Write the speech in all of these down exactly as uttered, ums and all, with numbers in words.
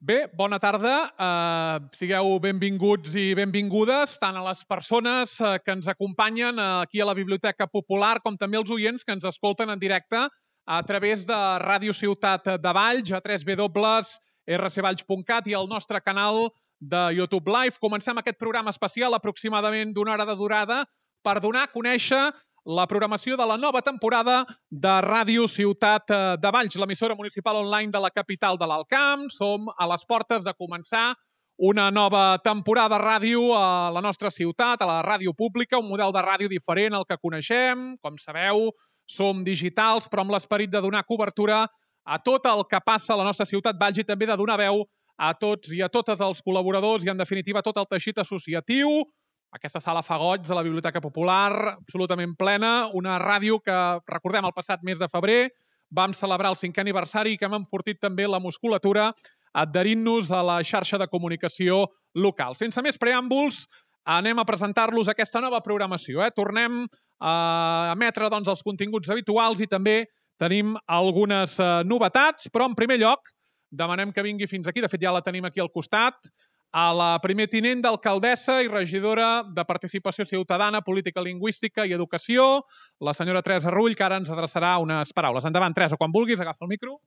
Bé, bona tarda. Uh, sigueu benvinguts i benvingudes tant a les persones uh, que ens acompanyen uh, aquí a la Biblioteca Popular com també els oients que ens escolten en directe a través de Ràdio Ciutat de Valls, a w w w punt r c valls punt cat i el nostre canal de YouTube Live. Comencem aquest programa especial aproximadament d'una hora de durada per donar a conèixer la programació de la nova temporada de Ràdio Ciutat de Valls, l'emissora municipal online de la capital de l'Alt Camp. Som a les portes de començar una nova temporada de ràdio a la nostra ciutat, a la ràdio pública, un model de ràdio diferent al que coneixem. Com sabeu, som digitals, però amb l'esperit de donar cobertura a tot el que passa a la nostra ciutat Valls i també de donar veu a tots i a totes els col·laboradors i, en definitiva, tot el teixit associatiu. Aquesta sala fa goig de la Biblioteca Popular, absolutament plena, una ràdio que, recordem, el passat mes de febrer vam celebrar el cinquè aniversari i que hem enfortit també la musculatura adherint-nos a la xarxa de comunicació local. Sense més preàmbuls, anem a presentar-los aquesta nova programació. Eh? Tornem a emetre doncs, els continguts habituals i també tenim algunes eh, novetats, però en primer lloc demanem que vingui fins aquí, de fet ja la tenim aquí al costat, a la primer tinent d'alcaldessa i regidora de Participació Ciutadana, Política Lingüística i Educació, la senyora Teresa Rull, que ara ens adreçarà unes paraules. Endavant, Teresa, quan vulguis, agafa el micro.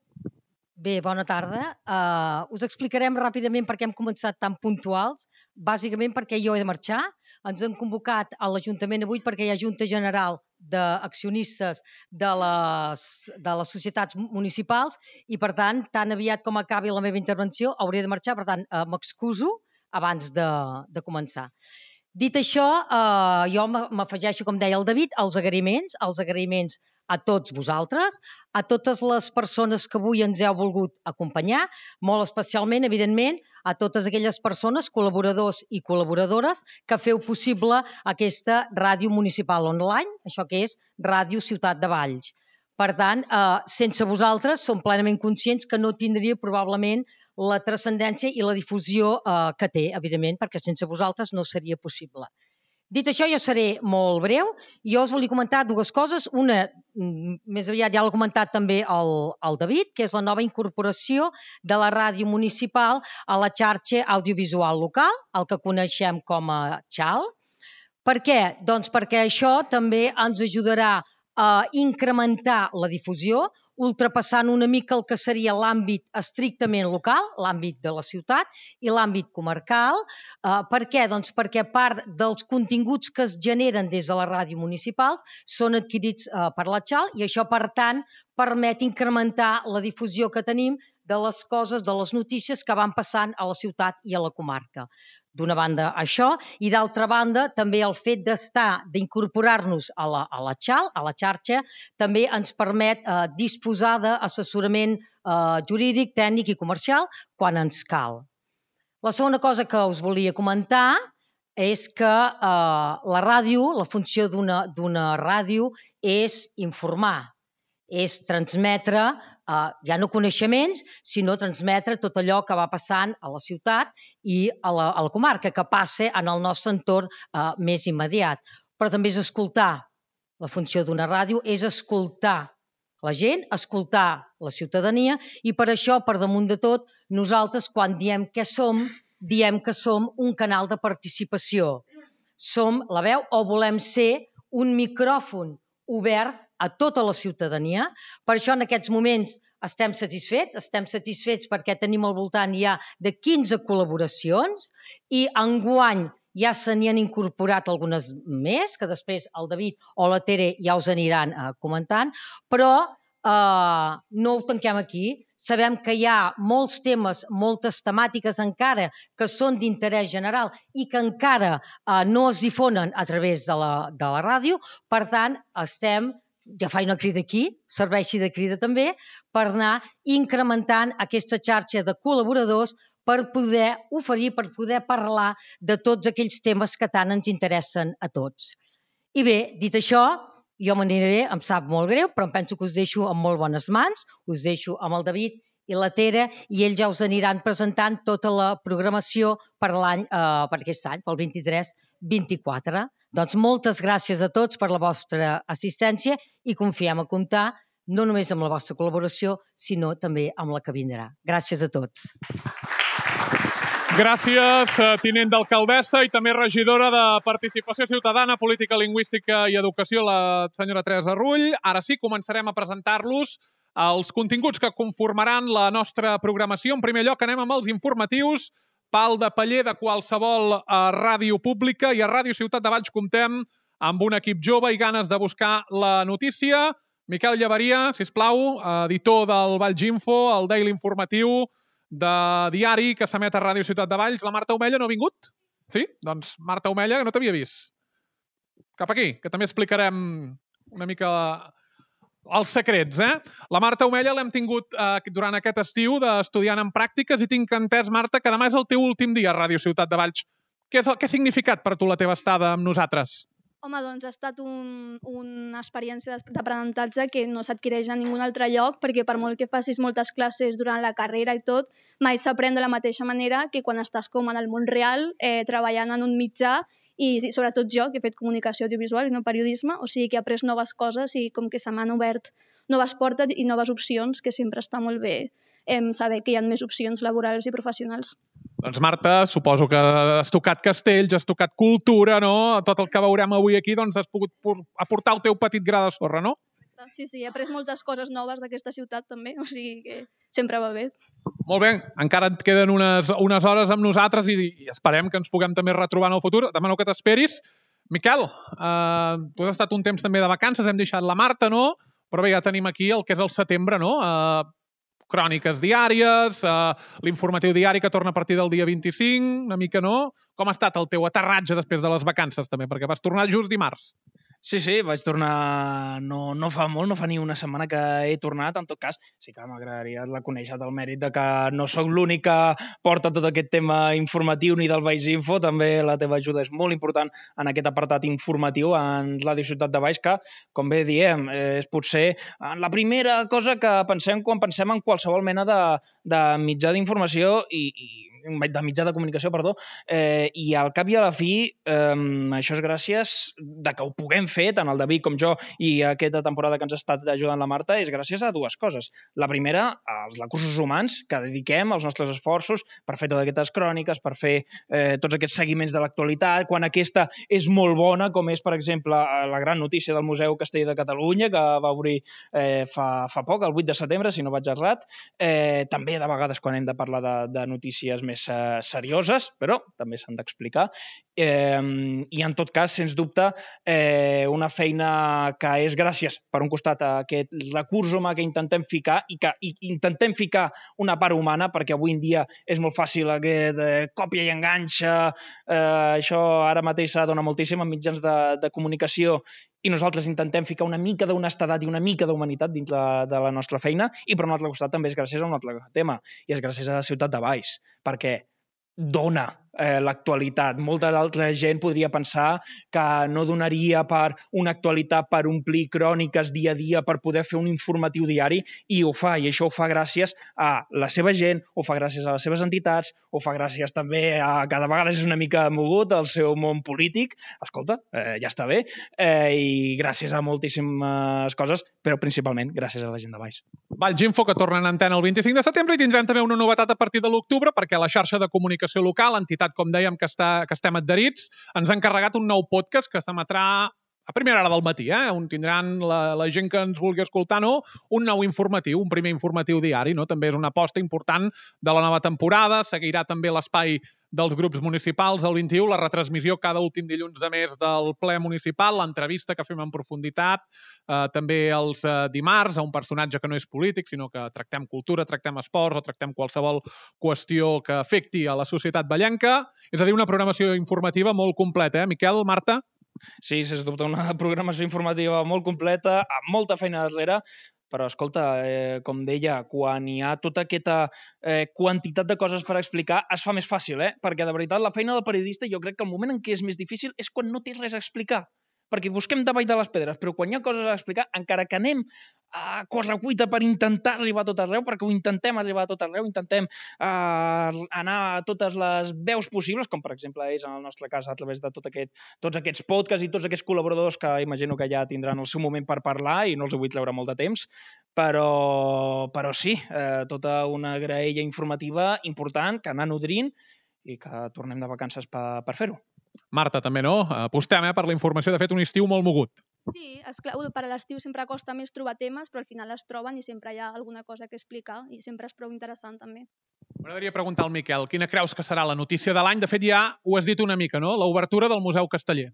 Bé, bona tarda. Uh, us explicarem ràpidament per què hem començat tan puntuals. Bàsicament perquè jo he de marxar. Ens han convocat a l'Ajuntament avui perquè hi ha Junta General d'accionistes de les, de les societats municipals i, per tant, tan aviat com acabi la meva intervenció, hauré de marxar. Per tant, uh, m'excuso abans de, de començar. Dit això, eh, jo m'afegeixo, com deia el David, als agraïments, als agraïments a tots vosaltres, a totes les persones que avui ens heu volgut acompanyar, molt especialment, evidentment, a totes aquelles persones, col·laboradors i col·laboradores, que feu possible aquesta ràdio municipal online, això que és Ràdio Ciutat de Valls. Per tant, eh, sense vosaltres som plenament conscients que no tindria probablement la transcendència i la difusió eh, que té, evidentment, perquè sense vosaltres no seria possible. Dit això, jo seré molt breu. Jo us volia comentar dues coses. Una, més aviat ja l'ha comentat també el, el David, que és la nova incorporació de la ràdio municipal a la xarxa audiovisual local, el que coneixem com a xal. Per què? Doncs perquè això també ens ajudarà a incrementar la difusió, ultrapassant una mica el que seria l'àmbit estrictament local, l'àmbit de la ciutat i l'àmbit comarcal. Eh, per què? Doncs perquè part dels continguts que es generen des de la ràdio municipal són adquirits eh, per la xal i això, per tant, permet incrementar la difusió que tenim de les coses, de les notícies que van passant a la ciutat i a la comarca. D'una banda, això, i d'altra banda, també el fet d'estar, d'incorporar-nos a la, a la xal, a la xarxa, també ens permet eh, disposar d'assessorament eh, jurídic, tècnic i comercial quan ens cal. La segona cosa que us volia comentar és que eh, la ràdio, la funció d'una d'una ràdio és informar, és transmetre eh, ja no coneixements, sinó transmetre tot allò que va passant a la ciutat i a la, a la comarca, que passa en el nostre entorn eh, més immediat. Però també és escoltar. La funció d'una ràdio és escoltar la gent, escoltar la ciutadania i per això, per damunt de tot, nosaltres quan diem què som, diem que som un canal de participació. Som la veu o volem ser un micròfon obert a tota la ciutadania. Per això en aquests moments estem satisfets, estem satisfets perquè tenim al voltant ja de quinze col·laboracions i enguany ja se n'hi han incorporat algunes més, que després el David o la Tere ja us aniran eh, comentant, però eh, no ho tanquem aquí. Sabem que hi ha molts temes, moltes temàtiques encara que són d'interès general i que encara eh, no es difonen a través de la, de la ràdio, per tant estem, ja faig una crida aquí, serveixi de crida també, per anar incrementant aquesta xarxa de col·laboradors per poder oferir, per poder parlar de tots aquells temes que tant ens interessen a tots. I bé, dit això, jo m'aniré, em sap molt greu, però em penso que us deixo en molt bones mans, us deixo amb el David i la Tere i ells ja us aniran presentant tota la programació per l'any, eh, per aquest any, pel vint-i-tres vint-i-quatre. Doncs moltes gràcies a tots per la vostra assistència i confiem a comptar no només amb la vostra col·laboració, sinó també amb la que vindrà. Gràcies a tots. Gràcies, tinent d'alcaldessa i també regidora de Participació Ciutadana, Política Lingüística i Educació, la senyora Teresa Rull. Ara sí, començarem a presentar-los els continguts que conformaran la nostra programació. En primer lloc, anem amb els informatius. Pal de paller de qualsevol ràdio pública, i a Ràdio Ciutat de Valls comptem amb un equip jove i ganes de buscar la notícia. Miquel Llaveria, sisplau, editor del Valls Info, el Daily Informatiu de diari que s'emet a Ràdio Ciutat de Valls. La Marta Omella no ha vingut? Sí? Doncs Marta Omella, que no t'havia vist. Cap aquí, que també explicarem una mica els secrets, eh? La Marta Omella l'hem tingut eh, durant aquest estiu d'estudiant en pràctiques i tinc entès, Marta, que demà és el teu últim dia a Ràdio Ciutat de Valls. Què, és el, què ha significat per tu la teva estada amb nosaltres? Home, doncs ha estat un, una experiència d'aprenentatge que no s'adquireix a ningun altre lloc, perquè per molt que facis moltes classes durant la carrera i tot, mai s'aprèn de la mateixa manera que quan estàs com en el món real, eh, treballant en un mitjà, i sobretot jo, que he fet comunicació audiovisual i no periodisme, o sigui que he après noves coses i com que se m'han obert noves portes i noves opcions, que sempre està molt bé eh, saber que hi ha més opcions laborals i professionals. Doncs Marta, suposo que has tocat castells, has tocat cultura, no? Tot el que veurem avui aquí, doncs has pogut aportar el teu petit gra de sorra, no? Sí, sí, he après moltes coses noves d'aquesta ciutat també, o sigui que sempre va bé. Molt bé, encara et queden unes, unes hores amb nosaltres i, i esperem que ens puguem també retrobar en el futur. Demano que t'esperis. Miquel, eh, tu has estat un temps també de vacances, hem deixat la Marta, no? Però bé, ja tenim aquí el que és el setembre, no? Eh, cròniques diàries, eh, l'informatiu diari que torna a partir del dia vint-i-cinc, una mica, no? Com ha estat el teu aterratge després de les vacances, també? Perquè vas tornar just dimarts. Sí, sí, vaig tornar no, no fa molt, no fa ni una setmana que he tornat. En tot cas, sí que m'agradaria reconèixer el mèrit de que no sóc l'únic que porta tot aquest tema informatiu ni del Valls Info. També la teva ajuda és molt important en aquest apartat informatiu en Ràdio Ciutat de Valls, que, com bé diem, és potser la primera cosa que pensem quan pensem en qualsevol mena de, de mitjà d'informació i, i de mitjà de comunicació, perdó, eh, i al cap i a la fi, eh, això és gràcies de que ho puguem fer, tant el David com jo, i aquesta temporada que ens ha estat ajudant la Marta, és gràcies a dues coses. La primera, als recursos humans que dediquem els nostres esforços per fer totes aquestes cròniques, per fer eh, tots aquests seguiments de l'actualitat, quan aquesta és molt bona, com és, per exemple, la gran notícia del Museu Castell de Catalunya, que va obrir eh, fa, fa poc, el vuit de setembre, si no vaig errat. Eh, també, de vegades, quan hem de parlar de, de notícies més més serioses, però també s'han d'explicar. Eh, I en tot cas, sens dubte, eh, una feina que és gràcies, per un costat, a aquest recurs humà que intentem ficar i que i intentem ficar una part humana, perquè avui en dia és molt fàcil aquest eh, còpia i enganxa, eh, això ara mateix s'ha donat moltíssim en mitjans de, de comunicació, i nosaltres intentem ficar una mica d'honestedat i una mica d'humanitat dins de, de la nostra feina, i per un altre costat també és gràcies a un altre tema, i és gràcies a la Ciutat de Valls, perquè dona eh, l'actualitat. Molta altra gent podria pensar que no donaria per una actualitat per omplir cròniques dia a dia, per poder fer un informatiu diari, i ho fa, i això ho fa gràcies a la seva gent, ho fa gràcies a les seves entitats, ho fa gràcies també a, cada vegada és una mica mogut, al seu món polític. Escolta, eh, ja està bé, eh, i gràcies a moltíssimes coses, però principalment gràcies a la gent de Valls. Valls Info, que torna en antena el vint-i-cinc de setembre, i tindrem també una novetat a partir de l'octubre, perquè la xarxa de comunicació local, entitat, com dèiem, que, està, que estem adherits, ens ha encarregat un nou podcast que s'emetrà a primera hora del matí, eh? On tindran la, la gent que ens vulgui escoltar, no? Un nou informatiu, un primer informatiu diari, no? També és una aposta important de la nova temporada. Seguirà també l'espai dels grups municipals el vint-i-u, la retransmissió cada últim dilluns de mes del ple municipal, l'entrevista que fem en profunditat, eh, també els eh, dimarts a un personatge que no és polític, sinó que tractem cultura, tractem esports o tractem qualsevol qüestió que afecti a la societat vallenca. És a dir, una programació informativa molt completa, eh, Miquel, Marta? Sí, sens dubte, una programació informativa molt completa, amb molta feina darrere, però, escolta, eh, com deia, quan hi ha tota aquesta eh, quantitat de coses per explicar, es fa més fàcil, eh? Perquè, de veritat, la feina del periodista, jo crec que el moment en què és més difícil és quan no té res a explicar. Perquè busquem davall de les pedres, però quan hi ha coses a explicar, encara que anem a correcuita per intentar arribar a tot arreu, perquè ho intentem arribar a tot arreu, intentem eh, anar a totes les veus possibles, com per exemple és en el nostre cas a través de tot aquest, tots aquests podcasts i tots aquests col·laboradors que imagino que ja tindran el seu moment per parlar i no els vull treure molt de temps, però, però sí, eh, tota una graella informativa important que anar nodrint i que tornem de vacances per, per fer-ho. Marta, també, no? Apostem eh, per la informació. De fet, un estiu molt mogut. Sí, esclar, per a l'estiu sempre costa més trobar temes, però al final es troben i sempre hi ha alguna cosa que explicar i sempre és prou interessant també. M'agradaria preguntar al Miquel, quina creus que serà la notícia de l'any? De fet, ja ho has dit una mica, no? L'obertura del Museu Casteller.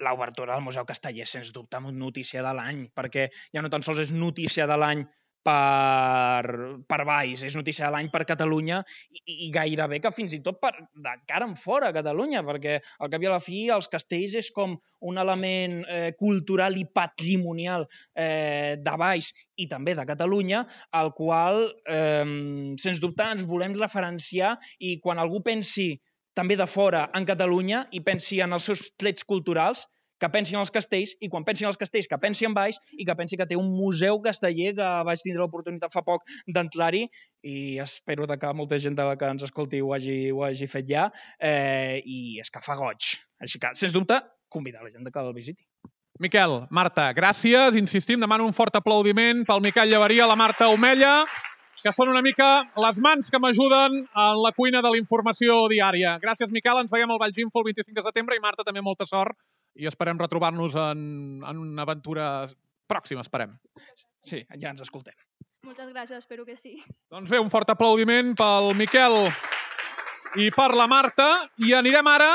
L'obertura del Museu Casteller, sens dubte, notícia de l'any, perquè ja no tan sols és notícia de l'any per, per Valls, és notícia de l'any per Catalunya i, i gairebé que fins i tot per, de cara en fora a Catalunya, perquè al cap i a la fi els castells és com un element eh, cultural i patrimonial eh, de Valls i també de Catalunya, al qual, eh, sens dubte, ens volem referenciar i quan algú pensi també de fora en Catalunya i pensi en els seus trets culturals, que pensi en els castells, i quan pensi en els castells, que pensi en Valls, i que pensi que té un museu casteller que vaig tindre l'oportunitat fa poc d'entrar-hi, i espero que molta gent de la que ens escolti ho hagi, ho hagi fet ja, eh, i és que fa goig. Així que, sens dubte, convidar la gent que el visiti. Miquel, Marta, gràcies. Insistim, demano un fort aplaudiment pel Miquel Llaveria, la Marta Omella, que són una mica les mans que m'ajuden en la cuina de la informació diària. Gràcies, Miquel. Ens veiem al Valls Info el vint-i-cinc de setembre i, Marta, també molta sort i esperem retrobar-nos en, en una aventura pròxima, esperem. Sí, ja ens escoltem. Moltes gràcies, espero que sí. Doncs bé, un fort aplaudiment pel Miquel i per la Marta. I anirem ara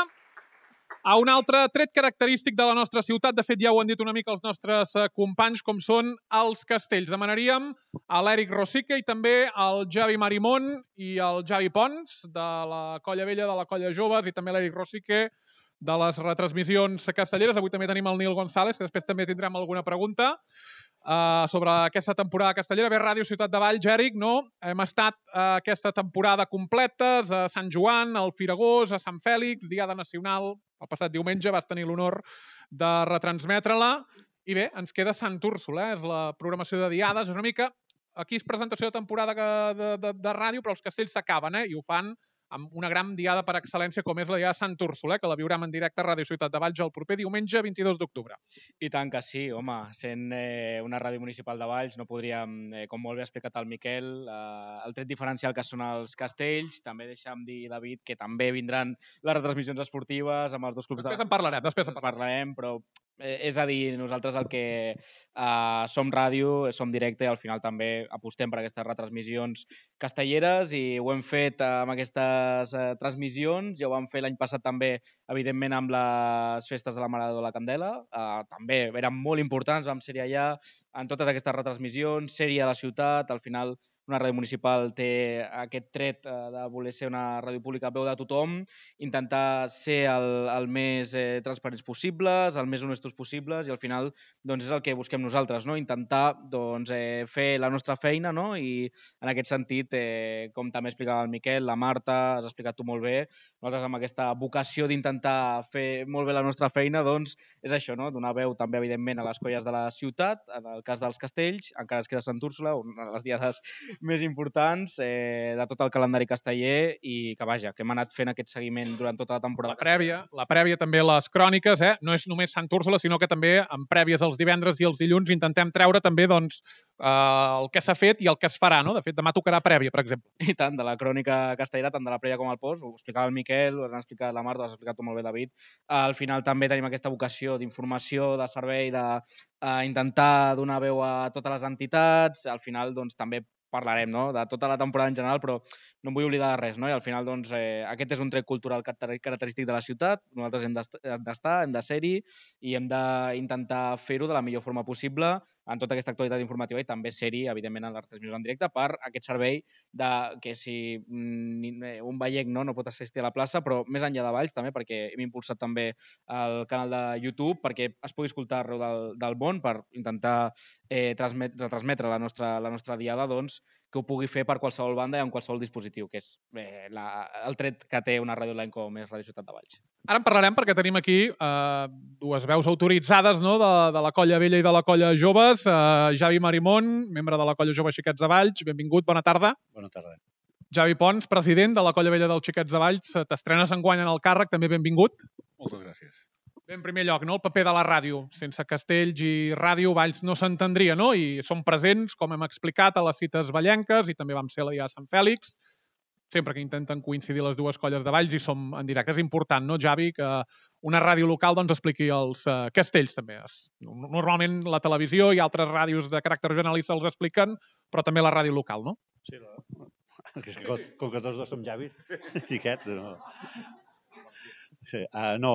a un altre tret característic de la nostra ciutat. De fet, ja ho han dit una mica els nostres companys, com són els castells. Demanaríem a l'Eric Rosique i també al Javi Marimón i al Javi Pons, de la Colla Vella, de la Colla Joves, i també l'Eric Rosique, de les retransmissions castelleres. Avui també tenim el Nil González, que després també tindrem alguna pregunta uh, sobre aquesta temporada castellera. Bé, Ràdio Ciutat de Valls, Eric, no? Hem estat uh, aquesta temporada completes a Sant Joan, al Firagós, a Sant Fèlix, Diada Nacional. El passat diumenge vas tenir l'honor de retransmetre-la. I bé, ens queda Sant Úrsula, eh? És la programació de diades. És una mica... Aquí és presentació de temporada de, de, de ràdio, però els castells s'acaben, eh? I ho fan amb una gran diada per excel·lència com és la diada Sant Úrsula, que la viurem en directe a Ràdio Ciutat de Valls el proper diumenge vint-i-dos d'octubre. I tant que sí, home, sent eh, una ràdio municipal de Valls no podríem, eh, com molt bé ha explicat el Miquel, eh, el tret diferencial que són els castells. També deixa'm dir, David, que també vindran les retransmissions esportives amb els dos clubs. Després de... en parlarem, després en parlarem, però eh, és a dir, nosaltres el que eh, som ràdio, som directe i al final també apostem per aquestes retransmissions castelleres i ho hem fet eh, amb aquestes eh, transmissions, ja ho vam fer l'any passat també, evidentment, amb les festes de la Mare de la Candela. Eh, també eren molt importants, vam ser allà en totes aquestes retransmissions, ser-hi a la ciutat, al final una ràdio municipal té aquest tret de voler ser una ràdio pública a veu de tothom, intentar ser el, el més eh, transparents possibles, el més honestos possibles i al final doncs, és el que busquem nosaltres, no? Intentar doncs, eh, fer la nostra feina, no? I en aquest sentit, eh, com també explicava el Miquel, la Marta, has explicat tu molt bé, nosaltres amb aquesta vocació d'intentar fer molt bé la nostra feina, doncs és això, no? Donar veu també evidentment a les colles de la ciutat, en el cas dels castells, encara es queda Sant Úrsula, una de les diades més importants eh, de tot el calendari casteller i que vaja, que hem anat fent aquest seguiment durant tota la temporada. La prèvia, la prèvia també les cròniques, eh? No és només Sant Úrsula, sinó que també en prèvies els divendres i els dilluns intentem treure també doncs, eh, el que s'ha fet i el que es farà, no? De fet, demà tocarà prèvia, per exemple. I tant, de la crònica castellera, tant de la prèvia com el post, ho explicava el Miquel, ho han explicat la Marta, ho has explicat tu molt bé, David. Al final també tenim aquesta vocació d'informació, de servei, d'intentar donar veu a totes les entitats, al final doncs també parlarem, no?, de tota la temporada en general, però no em vull oblidar de res, no? I al final, doncs, eh, aquest és un tret cultural característic de la ciutat, nosaltres hem d'estar, hem de ser-hi i hem d'intentar fer-ho de la millor forma possible en tota aquesta actualitat informativa i també ser-hi, evidentment, en les transmissions en directe per aquest servei de que si un vallec no, no pot assistir a la plaça, però més enllà de Valls també, perquè hem impulsat també el canal de YouTube perquè es pugui escoltar arreu del, del món per intentar eh, retransmetre la nostra, la nostra diada, doncs, que ho pugui fer per qualsevol banda i en qualsevol dispositiu, que és eh, la, el tret que té una ràdio online com és Ràdio Ciutat de Valls. Ara en parlarem perquè tenim aquí eh, dues veus autoritzades, no?, de, de la Colla Vella i de la Colla Joves. Eh, Javi Marimón, membre de la Colla Jove Xiquets de Valls, benvingut, bona tarda. Bona tarda. Javi Pons, president de la Colla Vella dels Xiquets de Valls, t'estrenes enguany en el càrrec, també benvingut. Moltes gràcies. Bé, en primer lloc, no? El paper de la ràdio. Sense castells i ràdio, Valls no s'entendria, no? I som presents, com hem explicat, a les cites vallenques i també vam ser la diada de Sant Fèlix. sempre que intenten coincidir les dues colles de Valls i som en directe. És important, no, Javi, que una ràdio local doncs, expliqui els uh, castells també. Es, normalment la televisió i altres ràdios de caràcter generalista els expliquen, però també la ràdio local, no? Sí, la... com, com que tots dos som llavis, xiquet, no. Sí, uh, no,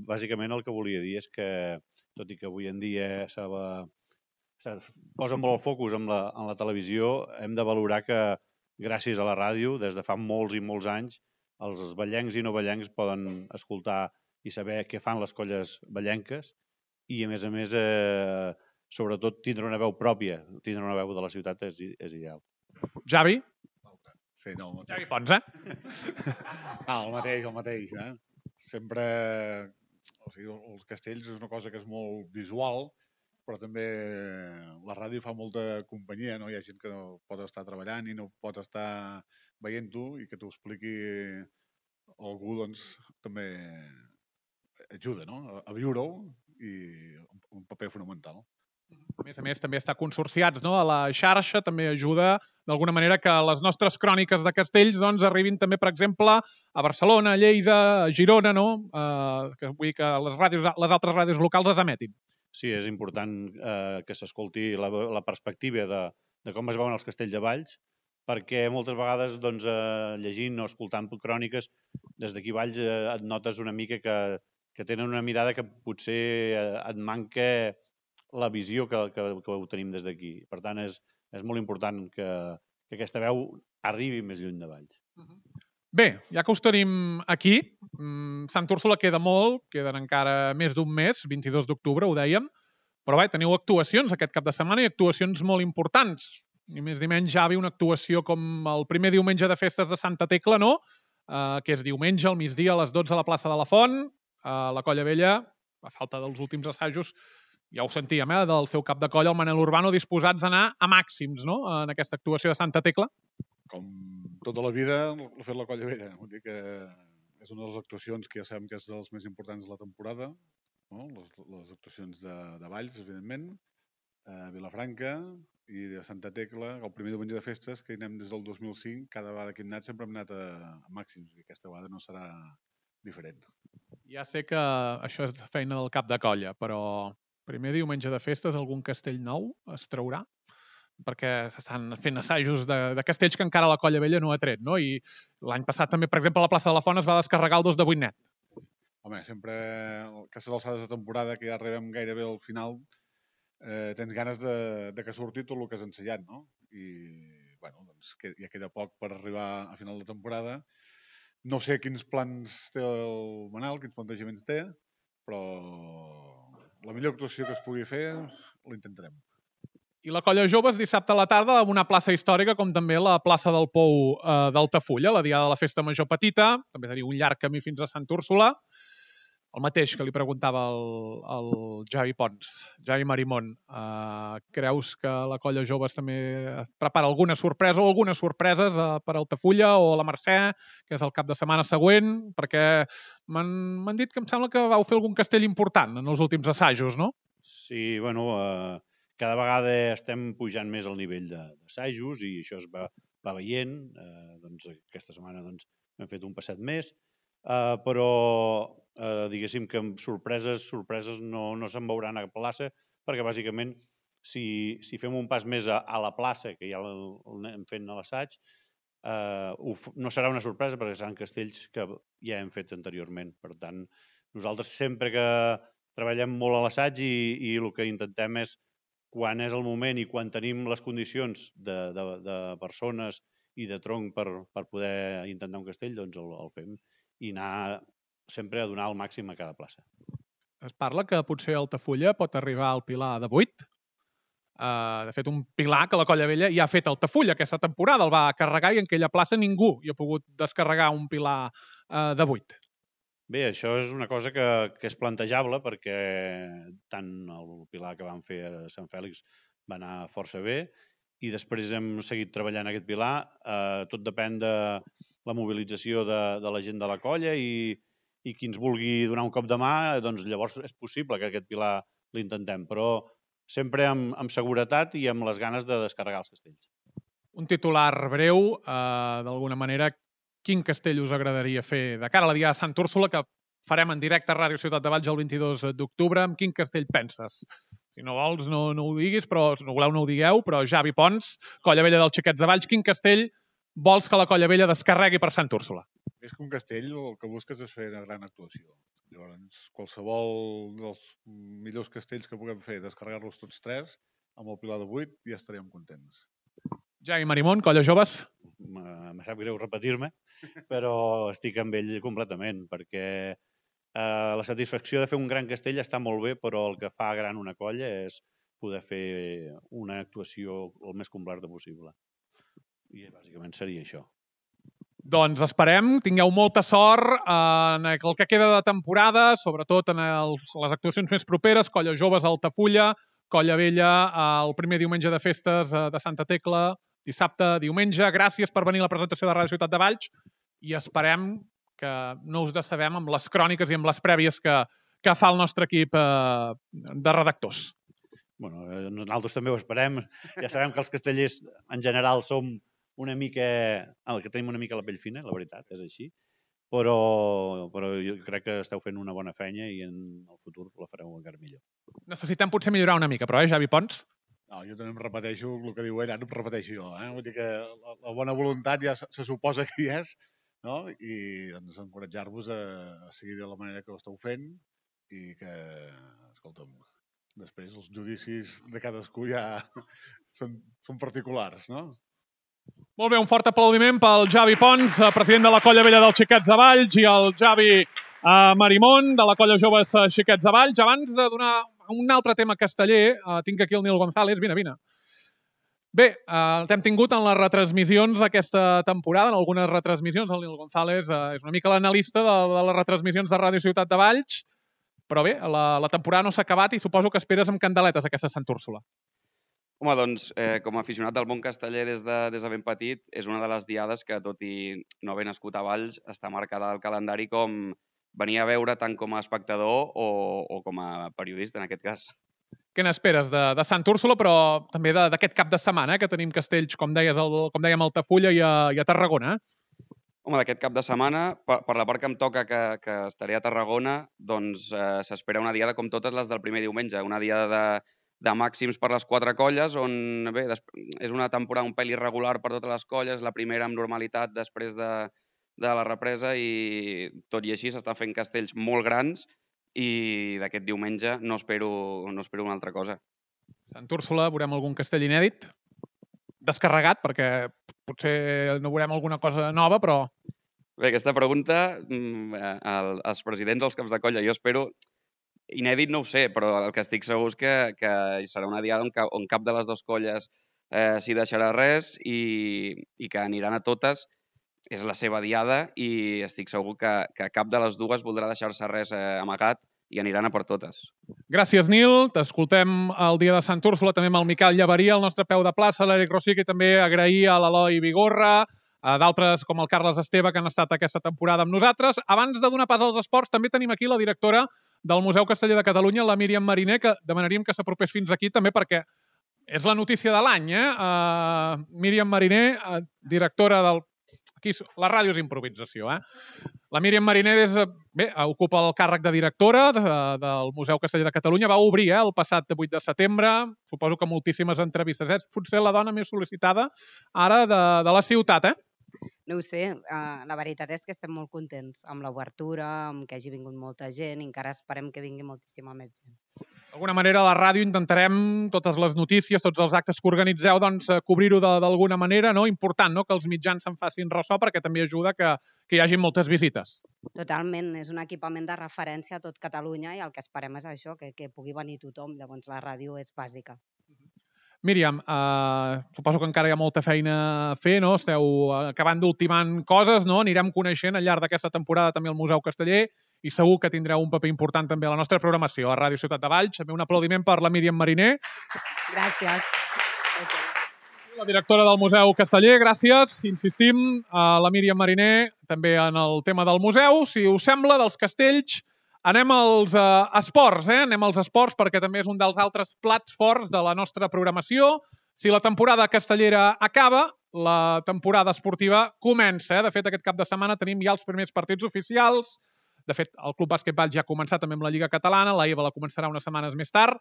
bàsicament el que volia dir és que, tot i que avui en dia se posa molt el focus en la, en la televisió, hem de valorar que gràcies a la ràdio, des de fa molts i molts anys, els ballencs i no ballencs poden escoltar i saber què fan les colles ballenques i, a més a més, eh, sobretot, tindre una veu pròpia, tindre una veu de la ciutat és, és ideal. Javi? Sí, no, el mateix. Javi Pons, eh? Ah, el mateix, el mateix, eh? Sempre... O sigui, els castells és una cosa que és molt visual, però també la ràdio fa molta companyia, no? Hi ha gent que no pot estar treballant i no pot estar veient-ho i que t'ho expliqui algú, doncs, també ajuda, no? A, a viure-ho i un paper fonamental. A més a més, també estar consorciats, no? A la xarxa també ajuda, d'alguna manera, que les nostres cròniques de castells doncs, arribin també, per exemple, a Barcelona, a Lleida, a Girona, no? Eh, que vull dir que les, ràdios, les altres ràdios locals es emetin. Sí, és important eh, que s'escolti la, la perspectiva de, de com es veuen els castells de Valls, perquè moltes vegades doncs, eh, llegint o escoltant cròniques, des d'aquí Valls eh, et notes una mica que, que tenen una mirada que potser eh, et manca la visió que, que, que ho tenim des d'aquí. Per tant, és, és molt important que, que aquesta veu arribi més lluny de Valls. Bé, ja que us tenim aquí, Sant Úrsula queda molt, queden encara més d'un mes, vint-i-dos d'octubre, ho dèiem, però bé, teniu actuacions aquest cap de setmana i actuacions molt importants. Ni més ni menys, Javi, una actuació com el primer diumenge de festes de Santa Tecla, no? Uh, que és diumenge, al migdia, a les dotze a la plaça de la Font, a la Colla Vella, a falta dels últims assajos, ja ho sentíem, eh, del seu cap de colla, el Manel Urbano, disposats a anar a màxims, no?, en aquesta actuació de Santa Tecla. Com tota la vida, l'ha fet la Colla Vella. Vull dir que és una de les actuacions que ja sabem que és de les més importants de la temporada, no? les, les actuacions de, de Valls, evidentment, a Vilafranca i de Santa Tecla, el primer diumenge de festes, que hi anem des del dos mil cinc, cada vegada que hem anat sempre hem anat a, a màxims, i aquesta vegada no serà diferent. Ja sé que això és feina del cap de colla, però primer diumenge de festes algun castell nou es traurà? Perquè s'estan fent assajos de, de castells que encara la Colla Vella no ha tret, no? I l'any passat també, per exemple, a la plaça de la Font es va descarregar el dos de vuit net. Home, sempre, a aquestes alçades de temporada, que ja arribem gairebé al final, eh, tens ganes de, de que surti tot el que has ensayat, no? I, bueno, doncs que, ja queda poc per arribar a final de temporada. No sé quins plans té el Manel, quins plantejaments té, però la millor actuació que es pugui fer l'intentarem. I la Colla Joves dissabte a la tarda amb una plaça històrica com també la plaça del Pou eh, d'Altafulla, la diada de la Festa Major Petita, també teniu un llarg camí fins a Sant Úrsula. El mateix que li preguntava el, el Javi Pons, Javi Marimón. Eh, creus que la Colla Joves també prepara alguna sorpresa o algunes sorpreses eh, per Altafulla o a la Mercè, que és el cap de setmana següent? Perquè m'han dit que em sembla que vau fer algun castell important en els últims assajos, no? Sí, bueno... Eh... Cada vegada estem pujant més al nivell d'assajos i això es va, va veient. Eh, doncs, aquesta setmana doncs, hem fet un passet més, eh, però eh, diguéssim que amb sorpreses, sorpreses no, no se'n veuran a la plaça, perquè bàsicament si, si fem un pas més a, a la plaça, que ja l'hem fet a l'assaig, eh, no serà una sorpresa perquè seran castells que ja hem fet anteriorment. Per tant, nosaltres sempre que treballem molt a l'assaig i, i el que intentem és quan és el moment i quan tenim les condicions de, de, de persones i de tronc per, per poder intentar un castell, doncs el, el fem i anar sempre a donar el màxim a cada plaça. Es parla que potser Altafulla pot arribar al Pilar de vuit. Uh, de fet, un Pilar que la Colla Vella ja ha fet Altafulla aquesta temporada, el va carregar i en aquella plaça ningú hi ha pogut descarregar un Pilar uh, de vuit. Bé, això és una cosa que, que és plantejable perquè tant el Pilar que vam fer a Sant Fèlix va anar força bé i després hem seguit treballant aquest Pilar. Eh, tot depèn de la mobilització de, de la gent de la colla i, i qui ens vulgui donar un cop de mà, doncs llavors és possible que aquest Pilar l'intentem, però sempre amb, amb seguretat i amb les ganes de descarregar els castells. Un titular breu, eh, d'alguna manera, quin castell us agradaria fer de cara a la Diada de Sant Úrsula, que farem en directe a Ràdio Ciutat de Valls el vint-i-dos d'octubre. Amb quin castell penses? Si no vols, no, no ho diguis, però si no voleu, no ho digueu, però Javi Pons, Colla Vella dels Xiquets de Valls, quin castell vols que la Colla Vella descarregui per Sant Úrsula? Més que un castell, el que busques és fer una gran actuació. Llavors, qualsevol dels millors castells que puguem fer, descarregar-los tots tres, amb el Pilar de vuit, ja estaríem contents. Javi Marimón, Colla Joves. Me sap greu repetir-me, però estic amb ell completament, perquè eh, la satisfacció de fer un gran castell està molt bé, però el que fa gran una colla és poder fer una actuació el més completa possible. I bàsicament seria això. Doncs esperem, tingueu molta sort en el que queda de temporada, sobretot en els, les actuacions més properes, Colla Joves a Altafulla, Colla Vella el primer diumenge de festes de Santa Tecla, dissabte, diumenge. Gràcies per venir a la presentació de Ràdio Ciutat de Valls i esperem que no us decebem amb les cròniques i amb les prèvies que, que fa el nostre equip eh, de redactors. Bueno, nosaltres també ho esperem. Ja sabem que els castellers en general som una mica, el que tenim una mica la pell fina, la veritat, és així, però, però jo crec que esteu fent una bona feina i en el futur la fareu encara millor. Necessitem potser millorar una mica, però, eh, Javi Pons? No, jo també em repeteixo el que diu ell, ara em repeteixo jo. Eh? Vull dir que la, la bona voluntat ja se, se suposa que hi és, no? I doncs, encoratjar-vos a, a seguir de la manera que ho esteu fent i que, escolta'm, després els judicis de cadascú ja són, són particulars, no? Molt bé, un fort aplaudiment pel Javi Pons, president de la Colla Vella dels Xiquets de Valls, i el Javi eh, Marimón, de la Colla Joves Xiquets de Valls. Abans de donar un altre tema casteller, eh, tinc aquí el Nil González. Vine, vine. Bé, eh, t'hem tingut en les retransmissions aquesta temporada, en algunes retransmissions. El Nil González eh, és una mica l'analista de, de les retransmissions de Ràdio Ciutat de Valls, però bé, la, la temporada no s'ha acabat i suposo que esperes amb candeletes aquesta Sant Úrsula. Home, doncs, eh, com a aficionat del món casteller des de, des de ben petit, és una de les diades que, tot i no haver nascut a Valls, està marcada al calendari com venir a veure tant com a espectador o, o com a periodista, en aquest cas. Què n'esperes de, de Sant Úrsula, però també d'aquest cap de setmana, eh, que tenim castells, com deies, el, com dèiem, a Altafulla i a, i a Tarragona? Eh? Home, d'aquest cap de setmana, per, per la part que em toca, que, que estaré a Tarragona, doncs eh, s'espera una diada com totes les del primer diumenge, una diada de de màxims per les quatre colles, on bé, és una temporada un pèl irregular per totes les colles, la primera amb normalitat després de, de la represa i tot i així s'estan fent castells molt grans i d'aquest diumenge no espero, no espero una altra cosa. Sant Úrsula, veurem algun castell inèdit? Descarregat, perquè potser no veurem alguna cosa nova, però... Bé, aquesta pregunta, els presidents dels caps de colla, jo espero... Inèdit no ho sé, però el que estic segur és que, que serà una diada on, on cap de les dues colles eh, s'hi deixarà res i, i que aniran a totes. És la seva diada i estic segur que, que cap de les dues voldrà deixar-se res eh, amagat i aniran a per totes. Gràcies, Nil. T'escoltem el dia de Sant Úrsula, també amb el Miquel Llavaria, el nostre peu de plaça, l'Eric Rossic, i també agrair a l'Eloi Vigorra, d'altres com el Carles Esteve que han estat aquesta temporada amb nosaltres. Abans de donar pas als esports, també tenim aquí la directora del Museu Casteller de Catalunya, la Míriam Mariner, que demanaríem que s'apropés fins aquí també perquè és la notícia de l'any. Eh? Uh, Míriam Mariner, uh, directora del... Aquí la ràdio és improvisació. Eh? La Míriam Mariner és, bé, ocupa el càrrec de directora de, del Museu Casteller de Catalunya. Va obrir eh, el passat vuit de setembre. Suposo que moltíssimes entrevistes. És potser la dona més sol·licitada ara de, de la ciutat, eh? No ho sé, uh, la veritat és que estem molt contents amb l'obertura, amb que hagi vingut molta gent i encara esperem que vingui moltíssima més gent. D'alguna manera, a la ràdio intentarem totes les notícies, tots els actes que organitzeu, doncs, cobrir-ho d'alguna manera, no? Important, no?, que els mitjans se'n facin ressò perquè també ajuda que, que hi hagi moltes visites. Totalment, és un equipament de referència a tot Catalunya i el que esperem és això, que, que pugui venir tothom, llavors la ràdio és bàsica. Míriam, eh, suposo que encara hi ha molta feina a fer, no? Esteu acabant d'ultimant coses, no? Anirem coneixent al llarg d'aquesta temporada també el Museu Casteller i segur que tindreu un paper important també a la nostra programació a Ràdio Ciutat de Valls. També un aplaudiment per la Míriam Mariner. Gràcies. La directora del Museu Casteller, gràcies. Insistim a la Míriam Mariner també en el tema del museu. Si us sembla, dels castells, anem als uh, esports, eh? Anem als esports perquè també és un dels altres plats forts de la nostra programació. Si la temporada castellera acaba, la temporada esportiva comença. Eh? De fet, aquest cap de setmana tenim ja els primers partits oficials. De fet, el Club Bàsquet Valls ja ha començat també amb la Lliga Catalana, la EVA la començarà unes setmanes més tard,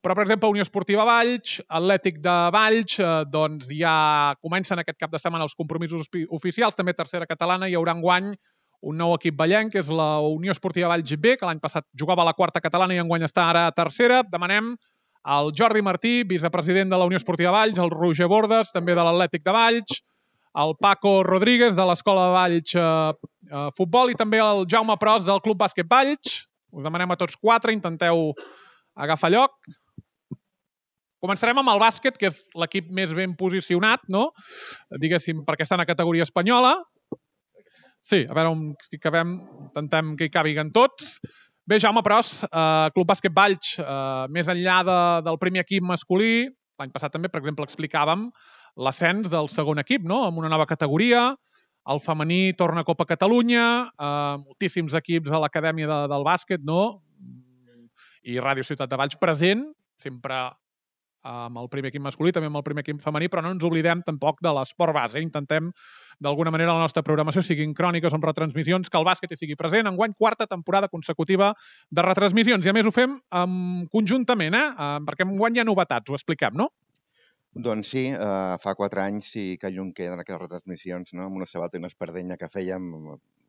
però, per exemple, Unió Esportiva Valls, Atlètic de Valls, eh, doncs ja comencen aquest cap de setmana els compromisos oficials, també tercera catalana, hi haurà enguany un nou equip vallenc, que és la Unió Esportiva Valls B, que l'any passat jugava a la quarta catalana i enguany està ara a tercera. Demanem al Jordi Martí, vicepresident de la Unió Esportiva Valls, el Roger Bordes, també de l'Atlètic de Valls, el Paco Rodríguez, de l'Escola de Valls eh, eh, Futbol, i també el Jaume Pros, del Club Bàsquet Valls. Us demanem a tots quatre, intenteu agafar lloc. Començarem amb el bàsquet, que és l'equip més ben posicionat, no? Diguéssim, perquè està en la categoria espanyola. Sí, a veure on hi cabem, intentem que hi càbiguen tots. Bé, Jaume Pros, eh, Club Bàsquet Valls, eh, més enllà de, del primer equip masculí, l'any passat també, per exemple, explicàvem l'ascens del segon equip, no? Amb una nova categoria, el femení torna a Copa Catalunya, eh, moltíssims equips a l'acadèmia de, del bàsquet, no? I Ràdio Ciutat de Valls present, sempre amb el primer equip masculí, també amb el primer equip femení, però no ens oblidem tampoc de l'esport base. Intentem, d'alguna manera, la nostra programació siguin cròniques o retransmissions, que el bàsquet hi sigui present. Enguany, quarta temporada consecutiva de retransmissions. I a més ho fem um, conjuntament, eh? Uh, perquè enguany hi ha novetats, ho expliquem, no? Doncs sí, uh, fa quatre anys sí que llum queden aquelles retransmissions, no? Amb una sabata i una espardenya que fèiem,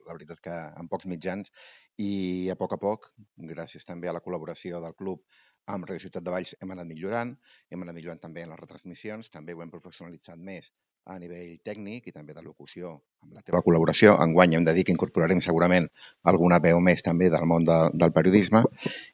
la veritat que en pocs mitjans, i a poc a poc, gràcies també a la col·laboració del club amb Ràdio Ciutat de Valls, hem anat millorant, hem anat millorant també en les retransmissions, també ho hem professionalitzat més a nivell tècnic i també de locució amb la teva col·laboració. Enguany hem de dir que incorporarem segurament alguna veu més també del món de, del periodisme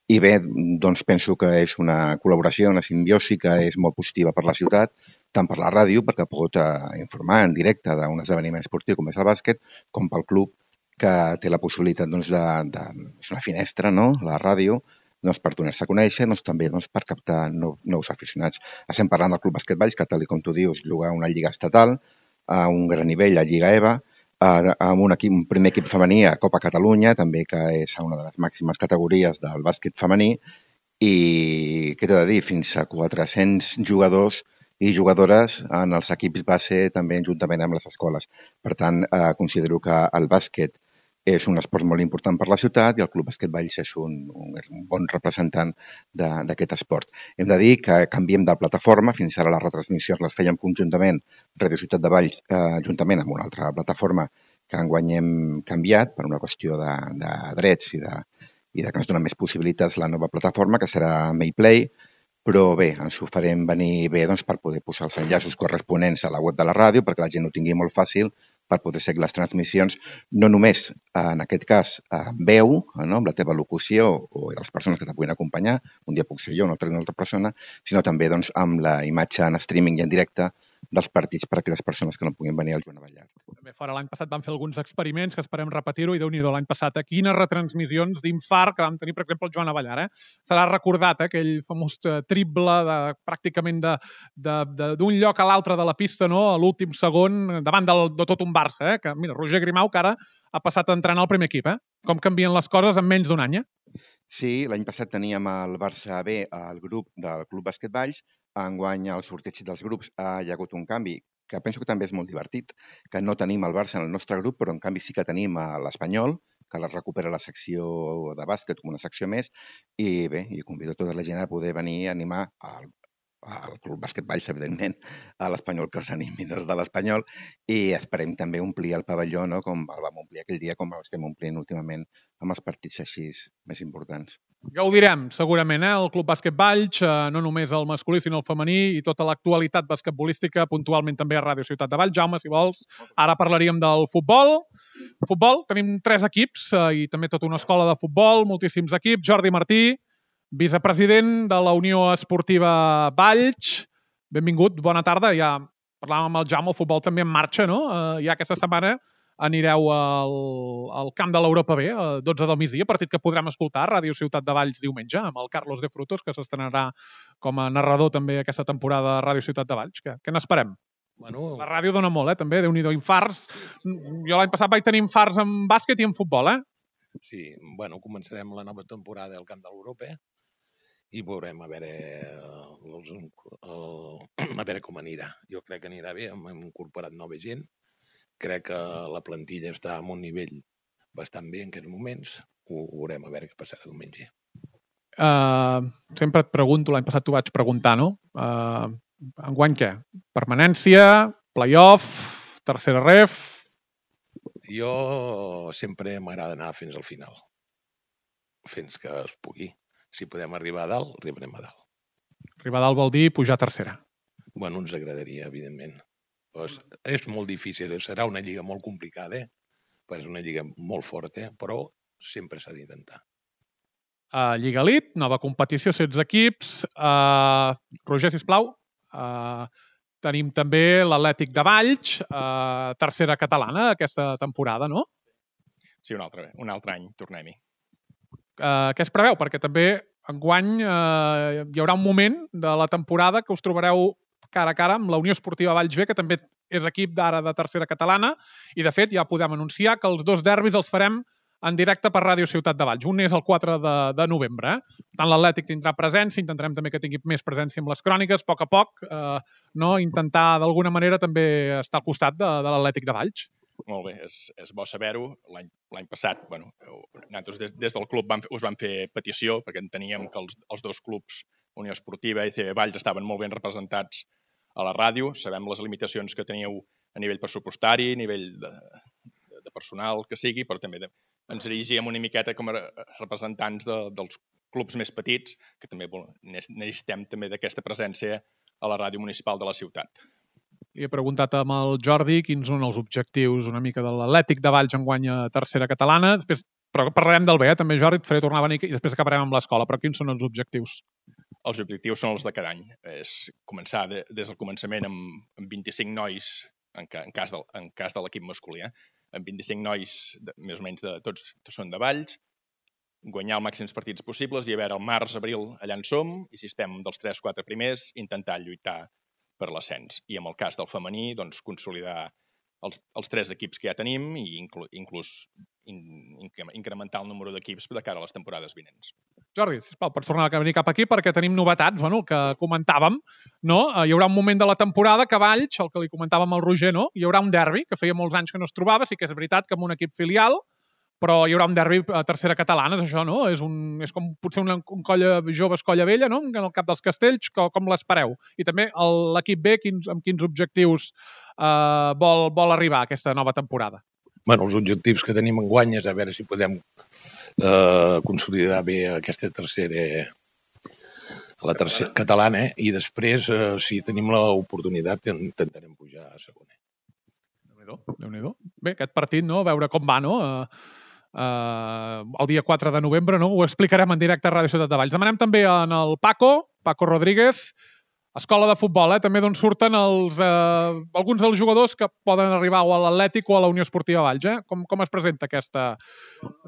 i bé, doncs penso que és una col·laboració, una simbiosi que és molt positiva per la ciutat, tant per la ràdio, perquè pot eh, informar en directe d'un esdeveniment esportiu com és el bàsquet, com pel club que té la possibilitat doncs, de, de, és una finestra, no?, la ràdio, doncs, per donar-se a conèixer, doncs, també doncs, per captar nou, nous aficionats. Estem parlant del Club Bàsquet Valls, que tal com tu dius, juga a una lliga estatal, a un gran nivell, a Lliga EVA, a, amb un, equip, un primer equip femení a Copa Catalunya, també que és una de les màximes categories del bàsquet femení, i què t'he de dir, fins a quatre-cents jugadors i jugadores en els equips base també juntament amb les escoles. Per tant, eh, considero que el bàsquet és un esport molt important per la ciutat i el Club Bàsquet Valls és un, un, un bon representant d'aquest esport. Hem de dir que canviem de plataforma, fins ara les retransmissions les fèiem conjuntament Ràdio Ciutat de Valls, eh, juntament amb una altra plataforma que enguany hem canviat per una qüestió de, de drets i de, i de que ens dona més possibilitats la nova plataforma, que serà Mayplay, però bé, ens ho farem venir bé doncs, per poder posar els enllaços corresponents a la web de la ràdio, perquè la gent ho tingui molt fàcil per poder seguir les transmissions, no només, en aquest cas, amb veu, no? Amb la teva locució o les persones que te puguin acompanyar, un dia puc ser jo, una altra, una altra persona, sinó també doncs, amb la imatge en streaming i en directe dels partits per a aquelles persones que no puguin venir al Joan Abellart. També fora l'any passat vam fer alguns experiments que esperem repetir-ho i Déu-n'hi-do l'any passat. A quines retransmissions d'infart que vam tenir, per exemple, el Joan Abellart. Eh? Serà recordat eh, aquell famós triple de, pràcticament d'un lloc a l'altre de la pista, no? A l'últim segon, davant del, de tot un Barça. Eh? Que, mira, Roger Grimau, que ara ha passat a entrenar al primer equip. Eh? Com canvien les coses en menys d'un any. Eh? Sí, l'any passat teníem el Barça B, el grup del Club Bàsquet Valls. Enguany, al sorteig dels grups ha hi ha hagut un canvi que penso que també és molt divertit, que no tenim el Barça en el nostre grup, però en canvi sí que tenim l'Espanyol, que la recupera la secció de bàsquet com una secció més, i bé, i convido tota la gent a poder venir a animar al, al Club Bàsquet Valls, evidentment, a l'Espanyol, que els animin els de l'Espanyol, i esperem també omplir el pavelló, no?, com el vam omplir aquell dia, com l'estem omplint últimament amb els partits així més importants. Gaudirem, segurament, eh? El Club Bàsquet Valls, eh, no només el masculí, sinó el femení, i tota l'actualitat basquetbolística, puntualment també a Ràdio Ciutat de Valls. Jaume, si vols, ara parlaríem del futbol. Futbol, tenim tres equips eh, i també tota una escola de futbol, moltíssims equips. Jordi Martí, vicepresident de la Unió Esportiva Valls. Benvingut, bona tarda. Ja parlàvem amb el Jaume, el futbol també en marxa, no? Eh, ja aquesta setmana anireu al, al camp de l'Europa B, a dotze del migdia, partit que podrem escoltar a Ràdio Ciutat de Valls diumenge, amb el Carlos de Frutos, que s'estrenarà com a narrador també aquesta temporada a Ràdio Ciutat de Valls. Què, què n'esperem? Bueno, la ràdio dona molt, eh, també, Déu-n'hi-do, infarts. Jo l'any passat vaig tenir infarts en bàsquet i en futbol, eh? Sí, bueno, començarem la nova temporada al camp de l'Europa i veurem a veure, els, el, a veure com anirà. Jo crec que anirà bé, hem incorporat nova gent, crec que la plantilla està a un nivell bastant bé en aquests moments, ho veurem a veure què passarà diumenge. Uh, sempre et pregunto, l'any passat t'ho vaig preguntar, no? Uh, enguany què? Permanència, play-off, tercera ref... Jo sempre m'agrada anar fins al final, fins que es pugui. Si podem arribar a dalt, arribarem a dalt. Arribar a dalt vol dir pujar a tercera. Bueno, ens agradaria, evidentment. Pues és molt difícil, serà una lliga molt complicada, eh? Pues és una lliga molt forta, però sempre s'ha d'intentar. Uh, Lliga Elite, nova competició, setze equips. Uh, Roger, sisplau. Uh, tenim també l'Atlètic de Valls, uh, tercera catalana aquesta temporada, no? Sí, un altre, un altre any, tornem-hi. Uh, què es preveu? Perquè també enguany uh, hi haurà un moment de la temporada que us trobareu cara a cara amb la Unió Esportiva Valls B, que també és equip d'ara de tercera catalana, i de fet ja podem anunciar que els dos derbis els farem en directe per Ràdio Ciutat de Valls. Un és el quatre de novembre. Eh? Tant l'Atlètic tindrà presència, intentarem també que tingui més presència amb les cròniques, a poc a poc, eh, no? Intentar d'alguna manera també estar al costat de, de l'Atlètic de Valls. Molt bé, és, és bo saber-ho. L'any passat, bueno, nosaltres des, des del club vam, us vam fer petició, perquè enteníem que els, els dos clubs, Unió Esportiva i C B Valls, estaven molt ben representats a la ràdio. Sabem les limitacions que teníeu a nivell pressupostari, a nivell de, de personal que sigui, però també de, ens dirigíem una miqueta com a representants de, dels clubs més petits, que també necessitem també d'aquesta presència a la ràdio municipal de la ciutat. Li he preguntat amb el Jordi quins són els objectius una mica de l'Atlètic de Valls enguany a tercera catalana. Després, però parlarem del B, eh? També, Jordi, et faré tornar a venir i després acabarem amb l'escola. Però quins són els objectius? Els objectius són els de cada any. És començar de, des del començament amb, amb vint-i-cinc nois, en, ca, en cas de, en cas de l'equip masculí, eh? amb vint-i-cinc nois, de, més o menys de, tots, tots són de Valls, guanyar els màxims partits possibles i a veure el març, abril, allà en som, i si estem dels tres quatre primers, intentar lluitar per l'ascens. I en el cas del femení, doncs, consolidar els, els tres equips que ja tenim i inclu, inclús in, incrementar el número d'equips de cara a les temporades vinents. Jordi, sisplau, pots tornar a venir cap aquí perquè tenim novetats, bueno, el que comentàvem, no? Hi haurà un moment de la temporada que Valls, el que li comentàvem al Roger, no? Hi haurà un derbi, que feia molts anys que no es trobava, sí que és veritat que amb un equip filial, però hi haurà un derbi a tercera catalana, és això, no? És, un, és com potser un, un colla jove, colla vella, no? En el cap dels castells, com, com l'espereu? I també l'equip B, quins, amb quins objectius eh, vol, vol arribar a aquesta nova temporada? Bueno, els objectius que tenim enguany és a veure si podem eh, consolidar bé aquesta tercera, la tercera catalana, eh? I després, eh, si tenim l'oportunitat, intentarem pujar a segona. Déu-n'hi-do, Déu-n'hi-do. Bé, aquest partit, no? A veure com va, no? Uh, uh, el dia quatre de novembre, no? Ho explicarem en directe a Ràdio Ciutat de Valls. Demanem també en el Paco, Paco Rodríguez, escola de futbol, eh? També d'on surten els, eh, alguns dels jugadors que poden arribar o a l'Atlètic o a la Unió Esportiva Valls. Eh? Com, com es presenta aquesta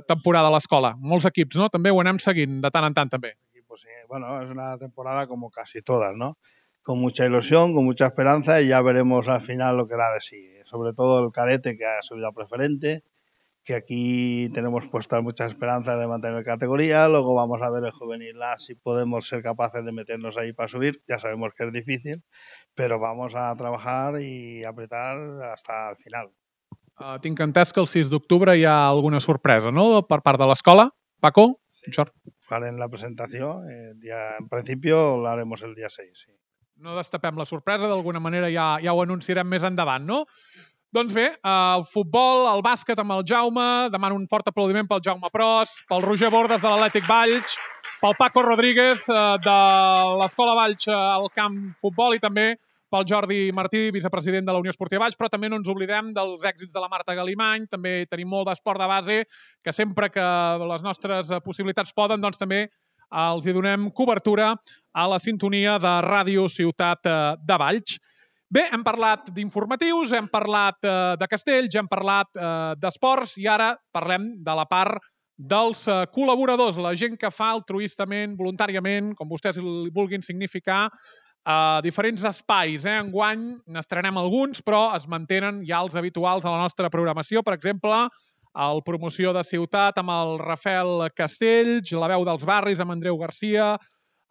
temporada a l'escola? Molts equips, ¿no? També ho anem seguint de tant en tant, també. Pues sí, bueno, es una temporada como casi todas, ¿no? Con mucha ilusión, con mucha esperanza y ya veremos al final lo que da de sí. Sobre todo el cadete que ha subido a preferente, que aquí tenemos puestas muchas esperanzas de mantener categoría, luego vamos a ver el juvenil A si podemos ser capaces de meternos ahí para subir, ya sabemos que es difícil, pero vamos a trabajar y apretar hasta el final. Uh, tinc entès que el sis d'octubre hi ha alguna sorpresa, no?, per part de l'escola. Paco? Sí, farem la presentació, eh, ya, en principio la haremos el día seis, sí. No destapem la sorpresa, d'alguna manera ja, ja ho anunciarem més endavant, no? Doncs bé, el futbol, el bàsquet amb el Jaume, demano un fort aplaudiment pel Jaume Pros, pel Roger Bordes de l'Atlètic Valls, pel Paco Rodríguez de l'Escola Valls al camp futbol i també pel Jordi Martí, vicepresident de la Unió Esportiva Valls, però també no ens oblidem dels èxits de la Marta Galimany, també tenim molt d'esport de base, que sempre que les nostres possibilitats poden, doncs també els hi donem cobertura a la sintonia de Ràdio Ciutat de Valls. Bé, hem parlat d'informatius, hem parlat eh, de castells, hem parlat eh, d'esports i ara parlem de la part dels eh, col·laboradors, la gent que fa altruistament, voluntàriament, com vostès li vulguin significar, a eh, diferents espais. Eh? Enguany n'estrenem alguns, però es mantenen ja els habituals a la nostra programació. Per exemple, el Promoció de Ciutat amb el Rafael Castells, la veu dels barris amb Andreu Garcia,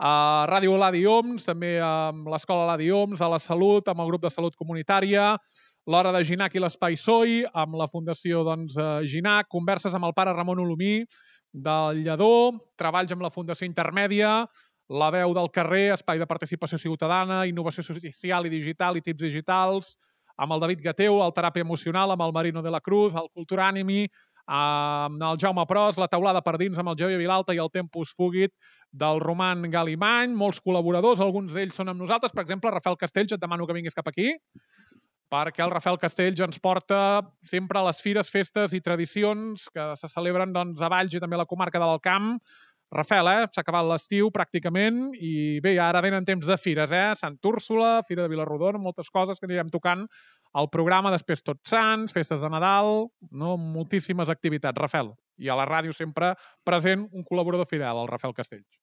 a Ràdio Ladi Oms, també amb l'Escola Ladi Oms, a la Salut, amb el grup de Salut Comunitària, l'Hora de Ginac i l'Espai Soi, amb la Fundació doncs, Ginac, converses amb el pare Ramon Olomí, del Lledó, treballs amb la Fundació Intermèdia, la veu del carrer, espai de participació ciutadana, innovació social i digital i tips digitals, amb el David Gateu, el teràpia emocional, amb el Marino de la Cruz, el Cultura Animi, amb el Jaume Pros, la taulada per dins amb el Xavier Vilalta i el Tempus Fugit del Roman Galimany, molts col·laboradors, alguns d'ells són amb nosaltres, per exemple, Rafael Castells, et demano que vinguis cap aquí, perquè el Rafael Castells ens porta sempre a les fires, festes i tradicions que se celebren doncs, a Valls i també a la comarca de l'Alt Camp. Rafael, eh? S'ha acabat l'estiu pràcticament i bé, ara venen temps de fires, eh? Sant Úrsula, Fira de Vilarrodona, moltes coses que anirem tocant al programa, després Tots Sants, festes de Nadal, no? Moltíssimes activitats, Rafael. I a la ràdio sempre present un col·laborador fidel, el Rafael Castells.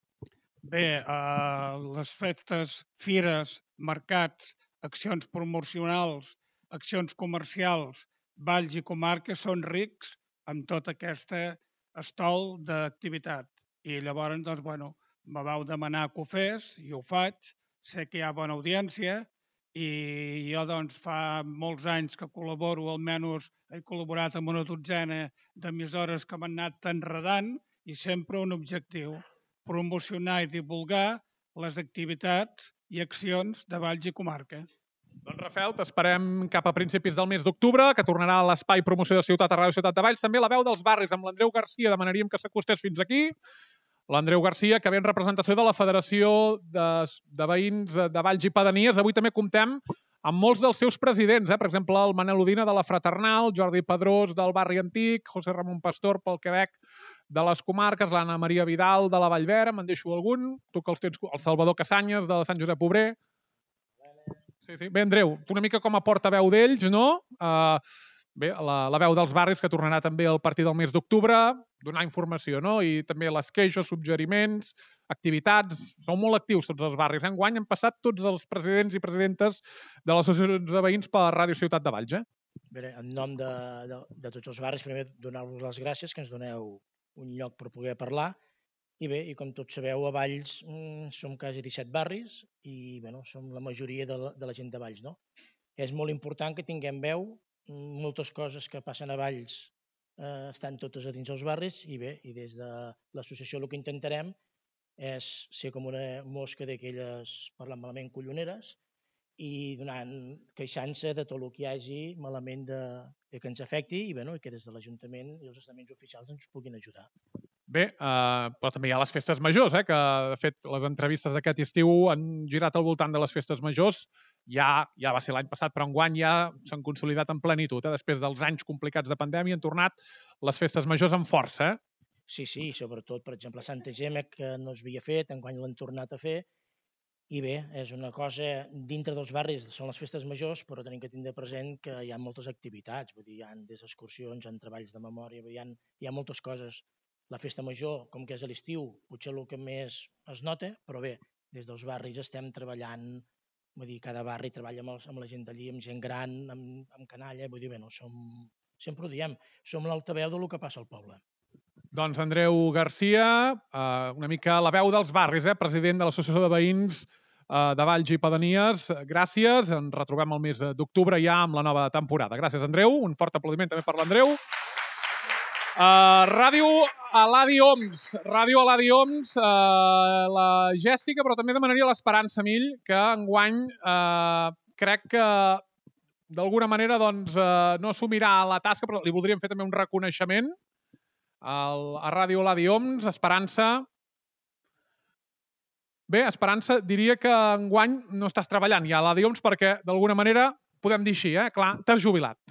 Bé, eh, les festes, fires, mercats, accions promocionals, accions comercials, valls i comarques són rics amb tot aquest estol d'activitat. I llavors, doncs, bueno, me vau demanar que ho fes i ho faig. Sé que hi ha bona audiència i jo, doncs, fa molts anys que col·laboro, almenys he col·laborat amb una dotzena d'emissores que m'han anat enredant i sempre un objectiu, promocionar i divulgar les activitats i accions de Valls i comarca. Doncs, Rafael, t'esperem cap a principis del mes d'octubre, que tornarà a l'Espai Promoció de Ciutat a Ràdio Ciutat de Valls. També la veu dels barris amb l'Andreu Garcia, demanaríem que s'acostés fins aquí. L'Andreu Garcia, que ve en representació de la Federació de, de Veïns de Valls i Pedanies. Avui també comptem amb molts dels seus presidents, eh? Per exemple, el Manel Udina de la Fraternal, Jordi Pedrós del Barri Antic, José Ramon Pastor pel Quebec de les comarques, l'Anna Maria Vidal de la Vallvera, me'n deixo algun, tu que els tens, el Salvador Casanyes de la Sant Josep Obrer. Sí, sí. Bé, Andreu, tu una mica com a portaveu d'ells, no? Uh, bé, la, la veu dels barris, que tornarà també a partir del mes d'octubre, donar informació, no? I també les queixes, suggeriments, activitats. Són molt actius tots els barris. Enguany han passat tots els presidents i presidentes de les associacions de veïns per la Ràdio Ciutat de Valls, eh? Bé, en nom de, de, de tots els barris, primer donar-vos les gràcies que ens doneu un lloc per poder parlar. I bé, i com tots sabeu, a Valls mm, som quasi disset barris i bueno, som la majoria de la, de la gent de Valls, no? És molt important que tinguem veu, moltes coses que passen a Valls eh, estan totes a dins dels barris i bé, i des de l'associació el que intentarem és ser com una mosca d'aquelles, parlant malament, colloneres i donant, queixant-se de tot el que hi hagi malament de, de que ens afecti i, bueno, i que des de l'Ajuntament i els estaments oficials ens puguin ajudar. Bé, eh, però també hi ha les festes majors, eh, que de fet les entrevistes d'aquest estiu han girat al voltant de les festes majors. Ja, ja va ser l'any passat, però enguany ja s'han consolidat en plenitud. Eh? Després dels anys complicats de pandèmia han tornat les festes majors amb força. Eh? Sí, sí, sobretot, per exemple, Santa Gemma, que no es havia fet, enguany l'han tornat a fer. I bé, és una cosa, dintre dels barris són les festes majors, però tenim que tindre present que hi ha moltes activitats, vull dir, hi ha des d'excursions, hi ha treballs de memòria, hi ha, hi ha moltes coses. La festa major, com que és a l'estiu, potser el que més es nota, però bé, des dels barris estem treballant, vull dir, cada barri treballa amb, els, amb la gent d'allí, amb gent gran, amb, amb canalla, vull dir, bé, no, som, sempre ho diem, som l'altaveu del que passa al poble. Doncs Andreu Garcia, eh, una mica la veu dels barris, eh, president de l'Associació de Veïns eh, de Valls i Pedanies. Gràcies, ens retrobem el mes d'octubre ja amb la nova temporada. Gràcies, Andreu, un fort aplaudiment també per l'Andreu. Uh, Ràdio Aladi Oms, Ràdio Aladi Oms, uh, la Jèssica, però també demanaria l'Esperança Mill, que enguany uh, crec que d'alguna manera doncs, uh, no assumirà la tasca, però li voldríem fer també un reconeixement al, a Ràdio Aladi Oms. Esperança, bé, Esperança diria que enguany no estàs treballant ja a Aladi Oms perquè d'alguna manera podem dir així, eh? Clar, t'has jubilat.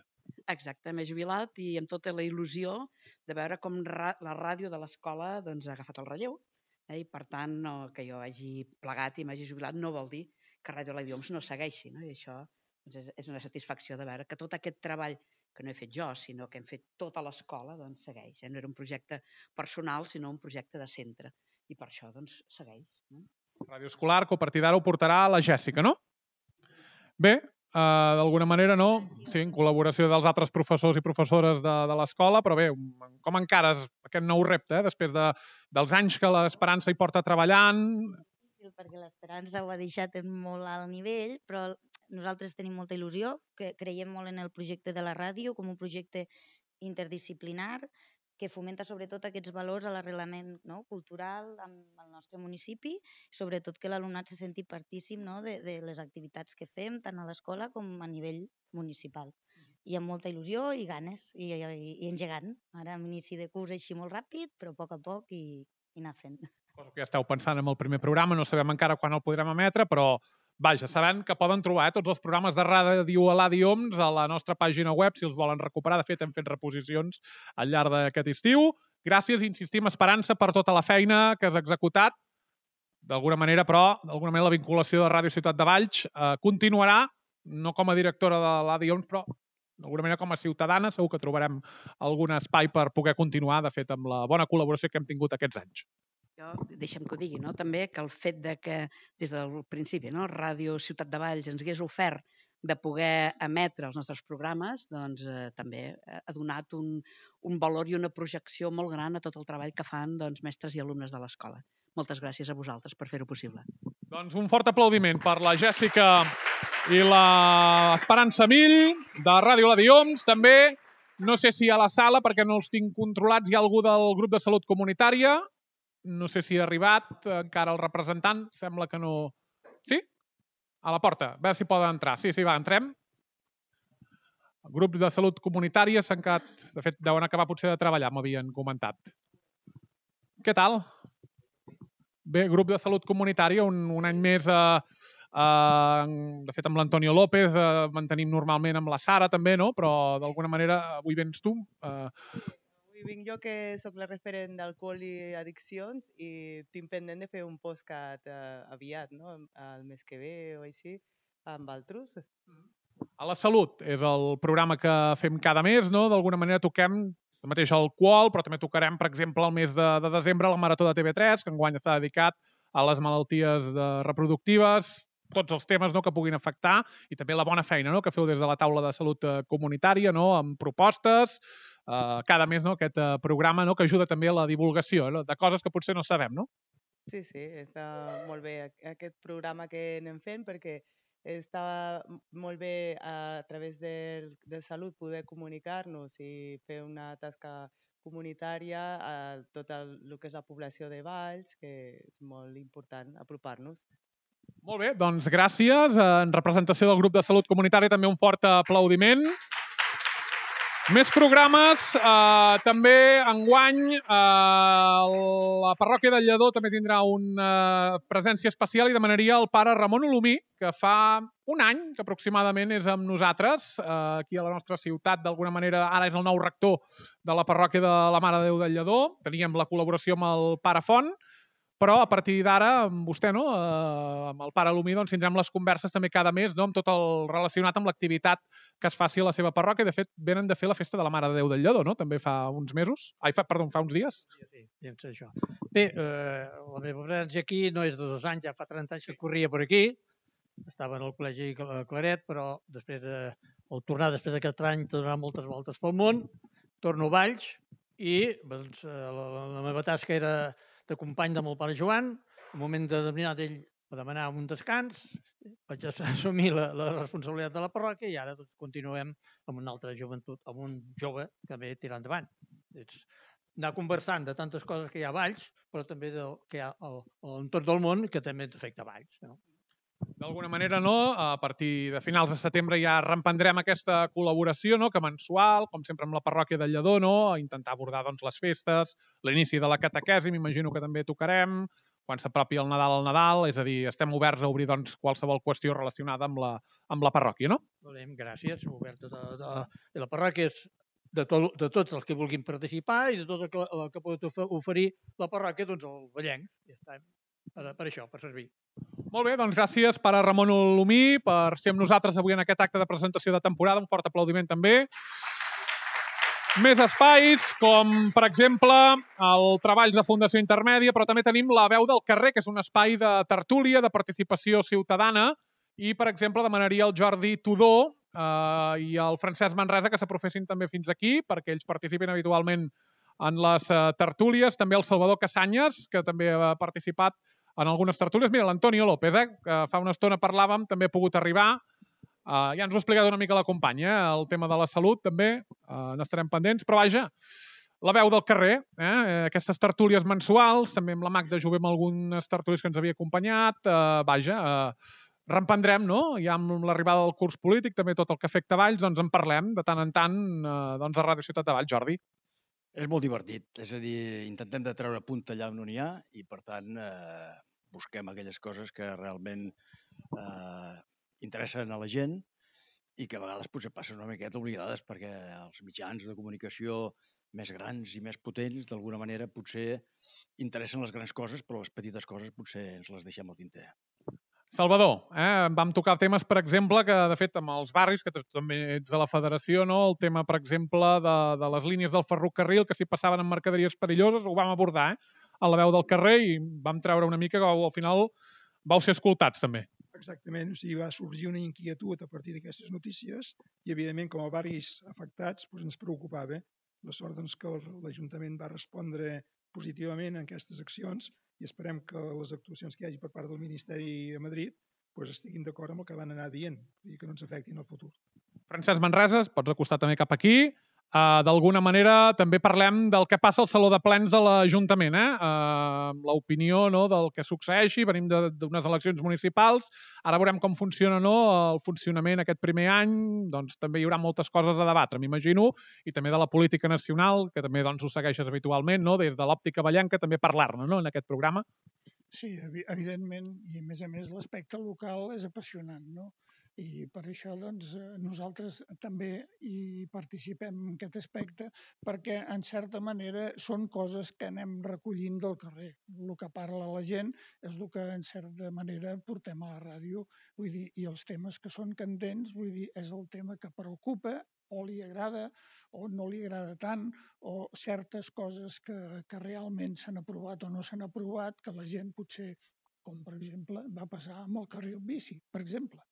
Exacte, m'he jubilat i amb tota la il·lusió de veure com ra la ràdio de l'escola doncs, ha agafat el relleu. Eh? I per tant, no, que jo hagi plegat i m'hagi jubilat no vol dir que Ràdio Aladi Oms no segueixi. No? I això doncs, és, és una satisfacció de veure que tot aquest treball que no he fet jo, sinó que hem fet tota l'escola, doncs segueix. Eh? No era un projecte personal, sinó un projecte de centre. I per això doncs, segueix. No? Ràdio Escolar, que a partir d'ara ho portarà la Jèssica, no? Bé, Uh, d'alguna manera no, sí, en col·laboració dels altres professors i professores de, de l'escola, però bé, com encares aquest nou repte, eh? Després de, dels anys que l'Esperança hi porta treballant? difícil perquè l'Esperança ho ha deixat en molt alt nivell, però nosaltres tenim molta il·lusió, que creiem molt en el projecte de la ràdio com un projecte interdisciplinar que fomenta sobretot aquests valors a l'arrelament, no?, cultural amb el nostre municipi, sobretot que l'alumnat se senti partícip, no?, de, de les activitats que fem tant a l'escola com a nivell municipal. I amb molta il·lusió i ganes, i, i, i engegant. Ara amb inici de curs així molt ràpid, però a poc a poc i, i anar fent. Cosa que ja esteu pensant en el primer programa, no sabem encara quan el podrem emetre, però vaja, sabent que poden trobar eh, tots els programes de ràdio a l'A D I O M S a la nostra pàgina web, si els volen recuperar. De fet, hem fet reposicions al llarg d'aquest estiu. Gràcies, insistim, Esperança, per tota la feina que has executat. D'alguna manera, però, d'alguna manera la vinculació de Ràdio Ciutat de Valls eh, continuarà, no com a directora de l'A D I O M S, però d'alguna manera com a ciutadana segur que trobarem algun espai per poder continuar, de fet, amb la bona col·laboració que hem tingut aquests anys. Jo, deixa'm que ho digui, no? També que el fet de que des del principi, no?, Ràdio Ciutat de Valls ens hagués ofert de poder emetre els nostres programes, doncs eh, també ha donat un, un valor i una projecció molt gran a tot el treball que fan doncs, mestres i alumnes de l'escola. Moltes gràcies a vosaltres per fer-ho possible. Doncs un fort aplaudiment per la Jèssica i l'Esperança Mill de Ràdio l'A D I O M S. També, no sé si a la sala, perquè no els tinc controlats, hi ha algú del grup de salut comunitària. No sé si ha arribat encara el representant, sembla que no... Sí? A la porta, a veure si poden entrar. Sí, sí, va, entrem. Grups de salut comunitària s'han quedat... De fet, deuen acabar potser de treballar, m'havien comentat. Què tal? Bé, grup de salut comunitària, un, un any més... Eh, eh, de fet, amb l'Antonio López, eh, mantenim normalment amb la Sara també, no? Però d'alguna manera, avui vens tu... Eh, Avui vinc jo, que sóc la referent d'alcohol i addiccions, i tinc pendent de fer un podcast eh, aviat, no?, el mes que ve o així, amb altres. A la salut és el programa que fem cada mes, no? D'alguna manera toquem el mateix alcohol, però també tocarem, per exemple, el mes de, de desembre la Marató de T V tres, que enguany està dedicat a les malalties de, reproductives, tots els temes, no?, que puguin afectar, i també la bona feina, no?, que feu des de la taula de salut comunitària, no?, amb propostes, Uh, cada mes, no?, aquest uh, programa, no?, que ajuda també a la divulgació, no?, de coses que potser no sabem, no? Sí, sí, està molt bé aquest programa que anem fent, perquè està molt bé a través de, de salut poder comunicar-nos i fer una tasca comunitària a tot el, el que és la població de Valls, que és molt important apropar-nos. Molt bé, doncs gràcies. En representació del grup de salut comunitària també un fort aplaudiment. Més programes, eh, també enguany eh, la parròquia del Lledó també tindrà una presència especial i demanaria al pare Ramon Olomí, que fa un any que aproximadament és amb nosaltres, eh, aquí a la nostra ciutat, d'alguna manera ara és el nou rector de la parròquia de la Mare de Déu del Lledó. Teníem la col·laboració amb el pare Font, però a partir d'ara, amb vostè, no? Eh, amb el pare Olomí, doncs, tindrem les converses també cada mes, no?, amb tot el relacionat amb l'activitat que es faci a la seva parròquia. De fet, venen de fer la festa de la Mare de Déu del Lledó, no?, també fa uns mesos. Ai, fa, perdó, fa uns dies. Sí, sí, doncs això. Bé, eh, la meva presència aquí no és de dos anys, ja fa trenta anys que corria per aquí. Estava en el col·legi Claret, però després, eh, al tornar després d'aquest any, tornar moltes voltes pel món, torno a Valls i doncs, la, la meva tasca era de company de mon pare Joan. En un moment determinat ell va demanar un descans, vaig assumir la, la responsabilitat de la parròquia i ara doncs, continuem amb una altra joventut, amb un jove que ve tirar endavant. És anar conversant de tantes coses que hi ha a Valls, però també del que hi ha a l'entorn del món que també ens afecta a Valls. No? D'alguna manera, no? A partir de finals de setembre ja reemprendrem aquesta col·laboració, no?, que mensual, com sempre amb la parròquia del Lledó, no?, a intentar abordar doncs, les festes, l'inici de la catequesi, m'imagino que també tocarem, quan s'apropi el Nadal al Nadal, és a dir, estem oberts a obrir doncs, qualsevol qüestió relacionada amb la, amb la parròquia, no? Molt bé, gràcies. Oberta de, de, de la parròquia és de, to, de tots els que vulguin participar i de tot el que, el que pot oferir la parròquia, doncs el vellenc. Ja està, per, per això, per servir. Molt bé, doncs gràcies, pare Ramon Olomí, per ser amb nosaltres avui en aquest acte de presentació de temporada. Un fort aplaudiment també. Més espais, com per exemple el Treballs de Fundació Intermèdia, però també tenim la Veu del Carrer, que és un espai de tertúlia, de participació ciutadana, i per exemple demanaria al Jordi Tudó eh, i al Francesc Manresa que s'aprofessin també fins aquí, perquè ells participen habitualment en les uh, tertúlies, també el Salvador Casanyes, que també ha participat en algunes tertúlies. Mira, l'Antonio López, eh, que fa una estona parlàvem, també ha pogut arribar. Uh, ja ens ho ha explicat una mica la companya, eh? El tema de la salut també, uh, n'estarem pendents, però vaja, la veu del carrer, eh? Aquestes tertúlies mensuals, també amb la Magda Jové amb algunes tertúlies que ens havia acompanyat, uh, vaja, uh, reemprendrem, no? Ja amb l'arribada del curs polític, també tot el que afecta Valls, doncs en parlem de tant en tant uh, doncs a Ràdio Ciutat de Valls, Jordi. És molt divertit, és a dir, intentem de treure punta allà on n'hi ha i, per tant, eh, busquem aquelles coses que realment eh, interessen a la gent i que a vegades potser passen una miqueta oblidades perquè els mitjans de comunicació més grans i més potents, d'alguna manera, potser interessen les grans coses, però les petites coses potser ens les deixem al tinter. Salvador, eh? Vam tocar temes, per exemple, que de fet amb els barris, que també ets de la federació, no? El tema, per exemple, de, de les línies del ferrocarril, que si passaven en mercaderies perilloses, ho vam abordar eh? a la veu del carrer i vam treure una mica que al final vau ser escoltats també. Exactament, o sigui, va sorgir una inquietud a partir d'aquestes notícies i, evidentment, com a barris afectats, doncs ens preocupava. La sort doncs, que l'Ajuntament va respondre positivament en aquestes accions i esperem que les actuacions que hi hagi per part del Ministeri a Madrid doncs estiguin d'acord amb el que van anar dient i que no ens afectin el futur. Francesc Manreses, pots acostar també cap aquí. Uh, D'alguna manera també parlem del que passa al Saló de Plens de l'Ajuntament, eh? Uh, l'opinió no, del que succeeixi, venim d'unes eleccions municipals, ara veurem com funciona no, el funcionament aquest primer any, doncs també hi haurà moltes coses a debatre, m'imagino, i també de la política nacional, que també doncs, ho segueixes habitualment, no? Des de l'òptica ballenca, també parlar-ne no, en aquest programa. Sí, evidentment, i a més a més l'aspecte local és apassionant, no? I per això doncs, nosaltres també hi participem en aquest aspecte perquè, en certa manera, són coses que anem recollint del carrer. El que parla la gent és el que, en certa manera, portem a la ràdio. Vull dir, i els temes que són candents, vull dir, és el tema que preocupa o li agrada o no li agrada tant, o certes coses que, que realment s'han aprovat o no s'han aprovat, que la gent potser, com per exemple, va passar amb el carril bici, per exemple.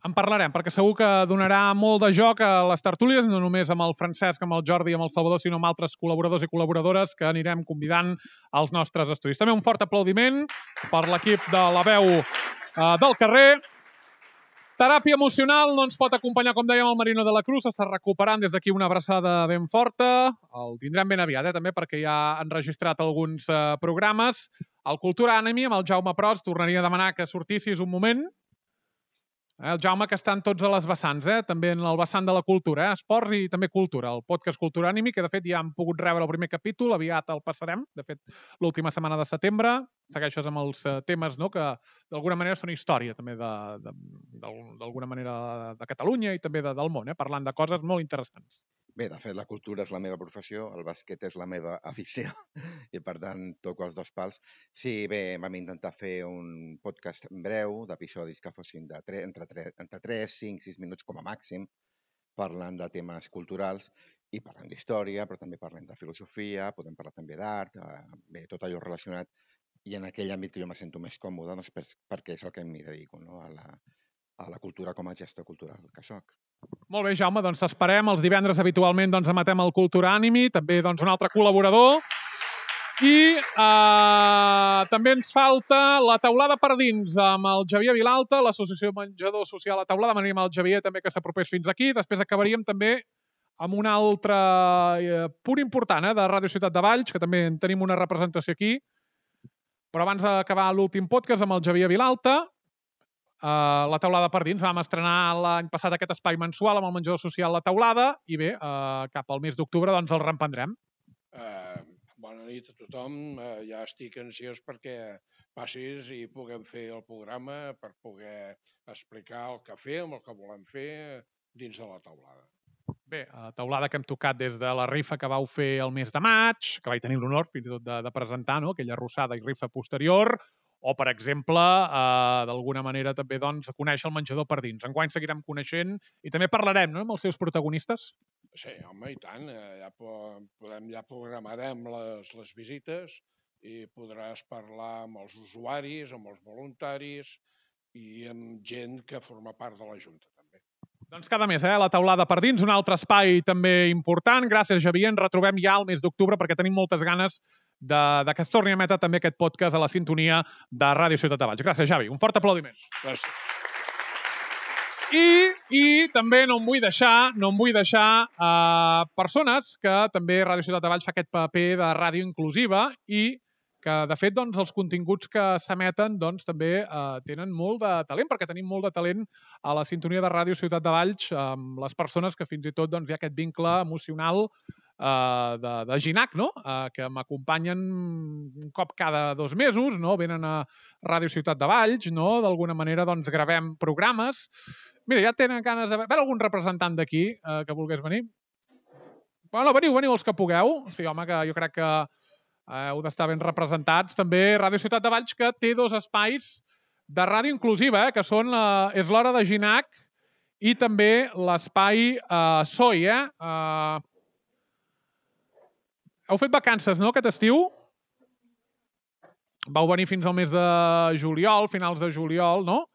En parlarem, perquè segur que donarà molt de joc a les tertúlies, no només amb el Francesc, amb el Jordi i amb el Salvador, sinó amb altres col·laboradors i col·laboradores que anirem convidant als nostres estudis. També un fort aplaudiment per l'equip de la veu eh, del carrer. Teràpia emocional no ens pot acompanyar, com dèiem, el Marino de la Cruz, s'està recuperant des d'aquí una abraçada ben forta. El tindrem ben aviat, eh, també, perquè ja han registrat alguns eh, programes. El Cultura Anime, amb el Jaume Pros, tornaria a demanar que sortissis un moment. El Jaume, que està en tots a les vessants, eh? També en el vessant de la cultura, eh? Esports i també cultura. El podcast Cultura Anime, que de fet ja hem pogut rebre el primer capítol, aviat el passarem, de fet l'última setmana de setembre. Segueixes amb els temes no? Que d'alguna manera són història també d'alguna manera de Catalunya i també de, del món, eh? Parlant de coses molt interessants. Bé, de fet, la cultura és la meva professió, el bàsquet és la meva afició i, per tant, toco els dos pals. Sí, bé, vam intentar fer un podcast breu d'episodis que fossin de tre entre, tre entre tres, cinc, sis minuts com a màxim, parlant de temes culturals i parlant d'història, però també parlem de filosofia, podem parlar també d'art, eh, bé, tot allò relacionat i en aquell àmbit que jo me sento més còmode, doncs, per, perquè és el que m'hi dedico, no? a, la, a la cultura com a gestor cultural que soc. Molt bé, Jaume, doncs t'esperem. Els divendres habitualment doncs, emetem el Cultura Anime, també doncs, un altre col·laborador. I eh, també ens falta la taulada per dins amb el Xavier Vilalta, l'Associació Menjador Social a Taulada. Demanem al Xavier també que s'apropés fins aquí. Després acabaríem també amb un altre eh, punt important eh, de Ràdio Ciutat de Valls, que també en tenim una representació aquí. Però abans d'acabar l'últim podcast amb el Xavier Vilalta, Uh, la taulada per dins. Vam estrenar l'any passat aquest espai mensual amb el menjador social La Taulada i bé, uh, cap al mes d'octubre doncs el reemprendrem. Uh, bona nit a tothom. Uh, ja estic ansiós perquè passis i puguem fer el programa per poder explicar el que fem, el que volem fer dins de la taulada. Bé, uh, taulada que hem tocat des de la rifa que vau fer el mes de maig, que vaig tenir l'honor fins i tot de, de presentar, no? Aquella arrossada i rifa posterior. O, per exemple, eh, d'alguna manera també doncs, conèixer el menjador per dins. Enguany seguirem coneixent i també parlarem no, amb els seus protagonistes. Sí, home, i tant. Ja, podem, ja programarem les, les visites i podràs parlar amb els usuaris, amb els voluntaris i amb gent que forma part de la Junta. També. Doncs cada mes, eh, la taulada per dins, un altre espai també important. Gràcies, Xavier. Ens retrobem ja al mes d'octubre perquè tenim moltes ganes de, de que es torni a emetre també aquest podcast a la sintonia de Ràdio Ciutat de Valls. Gràcies, Xavi. Un fort aplaudiment. Gràcies. I, I també no em vull deixar, no em vull deixar uh, persones que també Ràdio Ciutat de Valls fa aquest paper de ràdio inclusiva i que, de fet, doncs, els continguts que s'emeten doncs, també uh, tenen molt de talent, perquè tenim molt de talent a la sintonia de Ràdio Ciutat de Valls amb les persones que fins i tot doncs, hi ha aquest vincle emocional uh, de, de Ginac, no? uh, que m'acompanyen un cop cada dos mesos, no? Venen a Ràdio Ciutat de Valls, no? D'alguna manera doncs, gravem programes. Mira, ja tenen ganes de... veure algun representant d'aquí eh, que volgués venir? Bueno, veniu, veniu els que pugueu. Sí, home, que jo crec que eh, heu d'estar ben representats. També Ràdio Ciutat de Valls, que té dos espais de ràdio inclusiva, eh, que són la... és l'Hora de Ginac i també l'espai eh, S O I. Eh? Eh... Heu fet vacances, no?, aquest estiu? Vau venir fins al mes de juliol, finals de juliol, no?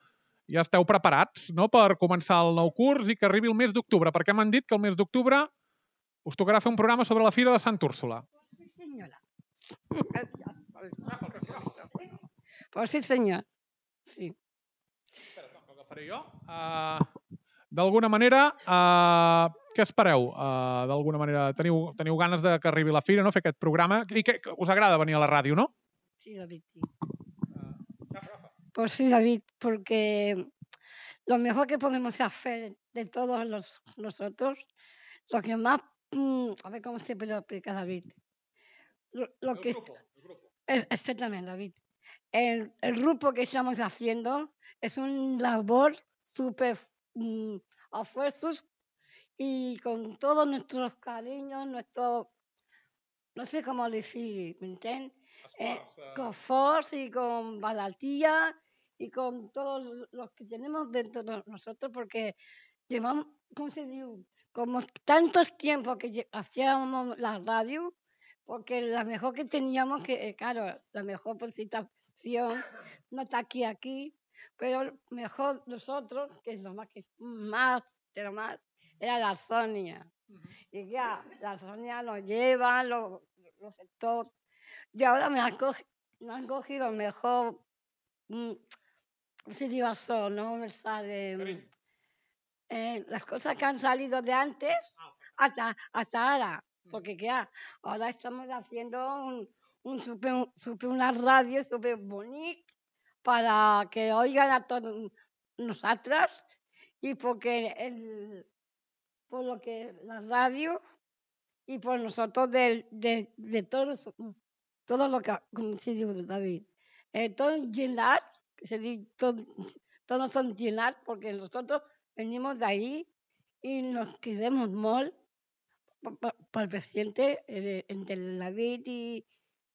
Ja esteu preparats, no?, per començar el nou curs i que arribi el mes d'octubre, perquè m'han dit que el mes d'octubre us tocarà fer un programa sobre la Fira de Sant Úrsula. Sí, senyora. Pues sí, senyor. Sí. Agafaré jo. Uh, D'alguna manera, uh, què espereu? Uh, D'alguna manera, teniu, teniu ganes de que arribi la Fira, no?, fer aquest programa? I que, que us agrada venir a la ràdio, no? Sí, David, sí. Pues sí, David, porque lo mejor que podemos hacer de todos los, nosotros, lo que más, mmm, a ver cómo se puede explicar, David. Lo, lo el que grupo, el grupo. Es, exactamente, David. El, el grupo que estamos haciendo es un labor súper mmm, a esfuerzos y con todos nuestros cariños, nuestro, no sé cómo decir, ¿me entiendes? Eh, con Force y con Balatía y con todos los que tenemos dentro de nosotros, porque llevamos, ¿cómo se dice? Como tantos tiempos que hacíamos la radio, porque la mejor que teníamos, que claro, la mejor presentación no está aquí, aquí, pero mejor nosotros, que es lo más, que más, pero más, era la Sonia. Uh-huh. Y ya, la Sonia nos lleva, los lo sectores. Y ahora me han, cogido, me han cogido mejor, ¿cómo se dice eso? No me sale. Eh, las cosas que han salido de antes hasta, hasta ahora. Porque ¿qué? Ahora estamos haciendo un, un super, super, una radio súper bonita para que oigan a todos nosotras y porque el, por lo que la radio y por nosotros de, de, de todos. Todo lo que, como se dice David, eh, todo llenar, que se dice, todo, todos son llenar, porque nosotros venimos de ahí y nos queremos molt para el presidente, eh, entre David y,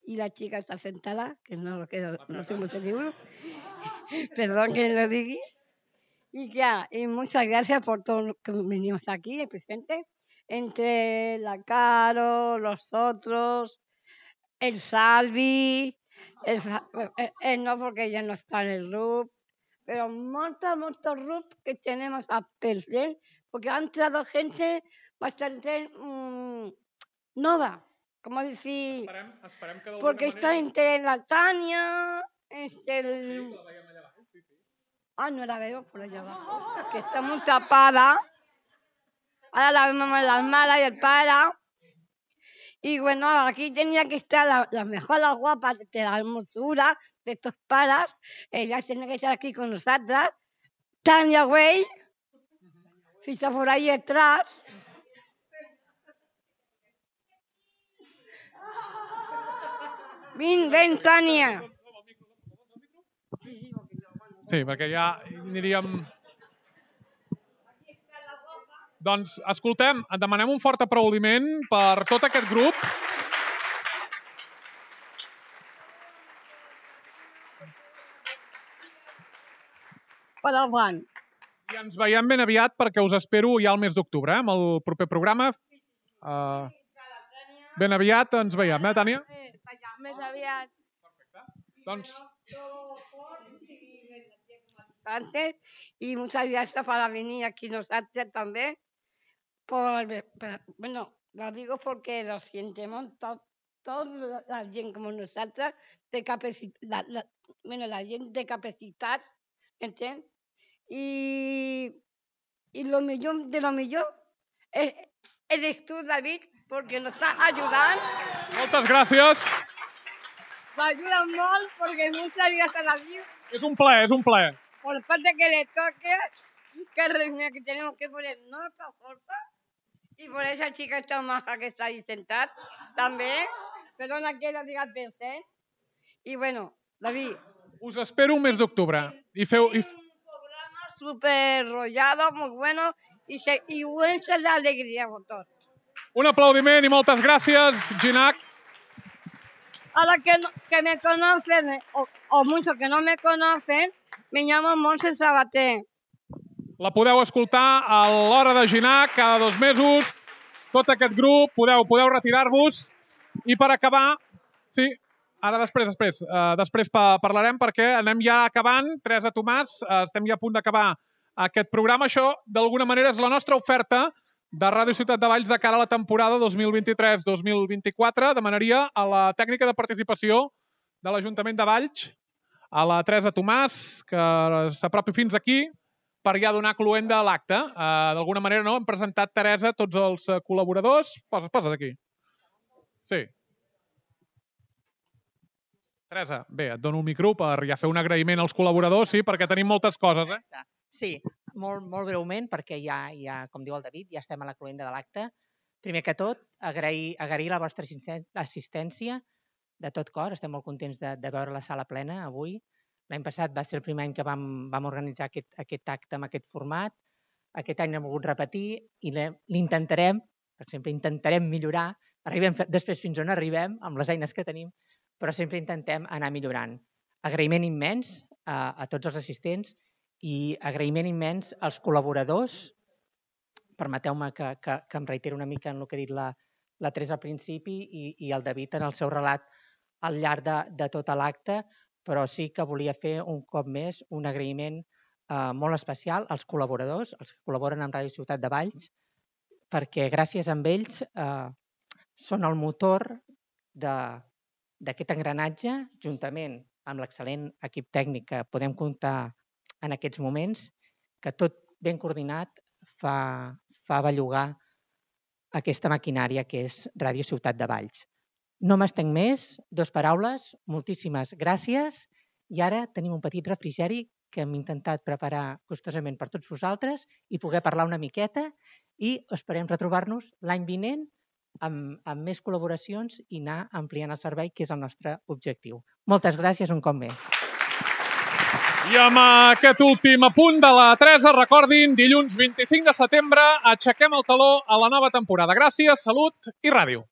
y la chica está sentada, que no lo que no sé cómo se dice, perdón que lo diga, y ya, y muchas gracias por todo lo que venimos aquí, el presidente, entre la Caro, los otros, el Salvi, el, el, el no porque ya no está en el grupo, pero muchos, muchos grupos que tenemos a perder, porque han entrado gente bastante mmm, nova, como decir, esperem, esperem que porque manera... está entre la Tania, entre el... Sí, la allà abajo, sí, sí. Ah, no la veo por allá abajo, que está muy tapada, ahora la vemos en la Almada y el Para. Y bueno, aquí tenía que estar la, la mejor, la guapa de la hermosura de estos paras. Ella tiene que estar aquí con nosotras. Tania Way, si está por ahí detrás. Ven, ven, Tania. Sí, perquè ja aniríem... Doncs, escoltem, demanem un fort aplaudiment per tot aquest grup. Per avant. I ens veiem ben aviat perquè us espero ja al mes d'octubre, eh, amb el proper programa. Uh, ben aviat ens veiem, eh, Tània? Més aviat. Doncs... Antes, y muchas gracias para venir aquí nosotros también. Por, por, bueno, lo digo porque lo sentimos todo, toda la gent com nosaltres té capacitat, la, la, bueno, la gent té capacitat, entens? I, i lo millor de lo millor és, eres tu, David, perquè nos està ajudant. Moltes gràcies. M'ajuda molt perquè no sabia estar aquí. És un plaer, és un plaer. Por parte que le toque, que, que tenemos que poner nuestra fuerza. Y por esa chica tan maja que está ahí sentada, también. Perdona que lo digas pensé. Y bueno, David. Us espero un mes d'octubre. I feu... I... Súper rollado, muy bueno. Y, se, y buen ser la alegría por todo. Un aplaudiment i moltes gràcies, Ginac. A los que, no, que me conocen, o, o muchos que no me conocen, me llamo Montse Sabater. La podeu escoltar a l'Hora de Ginac cada dos mesos. Tot aquest grup, podeu, podeu retirar-vos. I per acabar, sí, ara després, després, uh, després pa parlarem perquè anem ja acabant. Teresa Tomàs, uh, estem ja a punt d'acabar aquest programa. Això, d'alguna manera, és la nostra oferta de Ràdio Ciutat de Valls de cara a la temporada dos mil vint-i-tres dos mil vint-i-quatre. Demanaria a la tècnica de participació de l'Ajuntament de Valls, a la Teresa Tomàs, que s'apropi fins aquí per ja donar cluent de l'acte. Uh, D'alguna manera, no? Hem presentat, Teresa, tots els uh, col·laboradors. Posa't, posa't aquí. Sí. Teresa, bé, et dono un micro per ja fer un agraïment als col·laboradors, sí, perquè tenim moltes coses, eh? Sí, molt, molt breument, perquè ja, ja, com diu el David, ja estem a la cloenda de l'acte. Primer que tot, agrair, agrair la vostra assistència de tot cor. Estem molt contents de, de veure la sala plena avui. L'any passat va ser el primer any que vam, vam organitzar aquest, aquest acte amb aquest format. Aquest any hem volgut repetir i l'intentarem, per exemple, intentarem millorar. Arribem després fins on arribem, amb les eines que tenim, però sempre intentem anar millorant. Agraïment immens a, a tots els assistents i agraïment immens als col·laboradors. Permeteu-me que, que, que em reitero una mica en el que ha dit la, la Teresa al principi i, i el David en el seu relat al llarg de, de tot l'acte, però sí que volia fer un cop més un agraïment eh, molt especial als col·laboradors, els que col·laboren amb Ràdio Ciutat de Valls, perquè gràcies a ells eh, són el motor d'aquest engranatge, juntament amb l'excel·lent equip tècnic que podem comptar en aquests moments, que tot ben coordinat fa, fa bellugar aquesta maquinària que és Ràdio Ciutat de Valls. No m'estenc més, dos paraules, moltíssimes gràcies i ara tenim un petit refrigeri que hem intentat preparar gustosament per tots vosaltres i poder parlar una miqueta i esperem retrobar-nos l'any vinent amb, amb més col·laboracions i anar ampliant el servei, que és el nostre objectiu. Moltes gràcies un cop més. I amb aquest últim apunt de la Teresa, recordin, dilluns vint-i-cinc de setembre aixequem el taló a la nova temporada. Gràcies, salut i ràdio.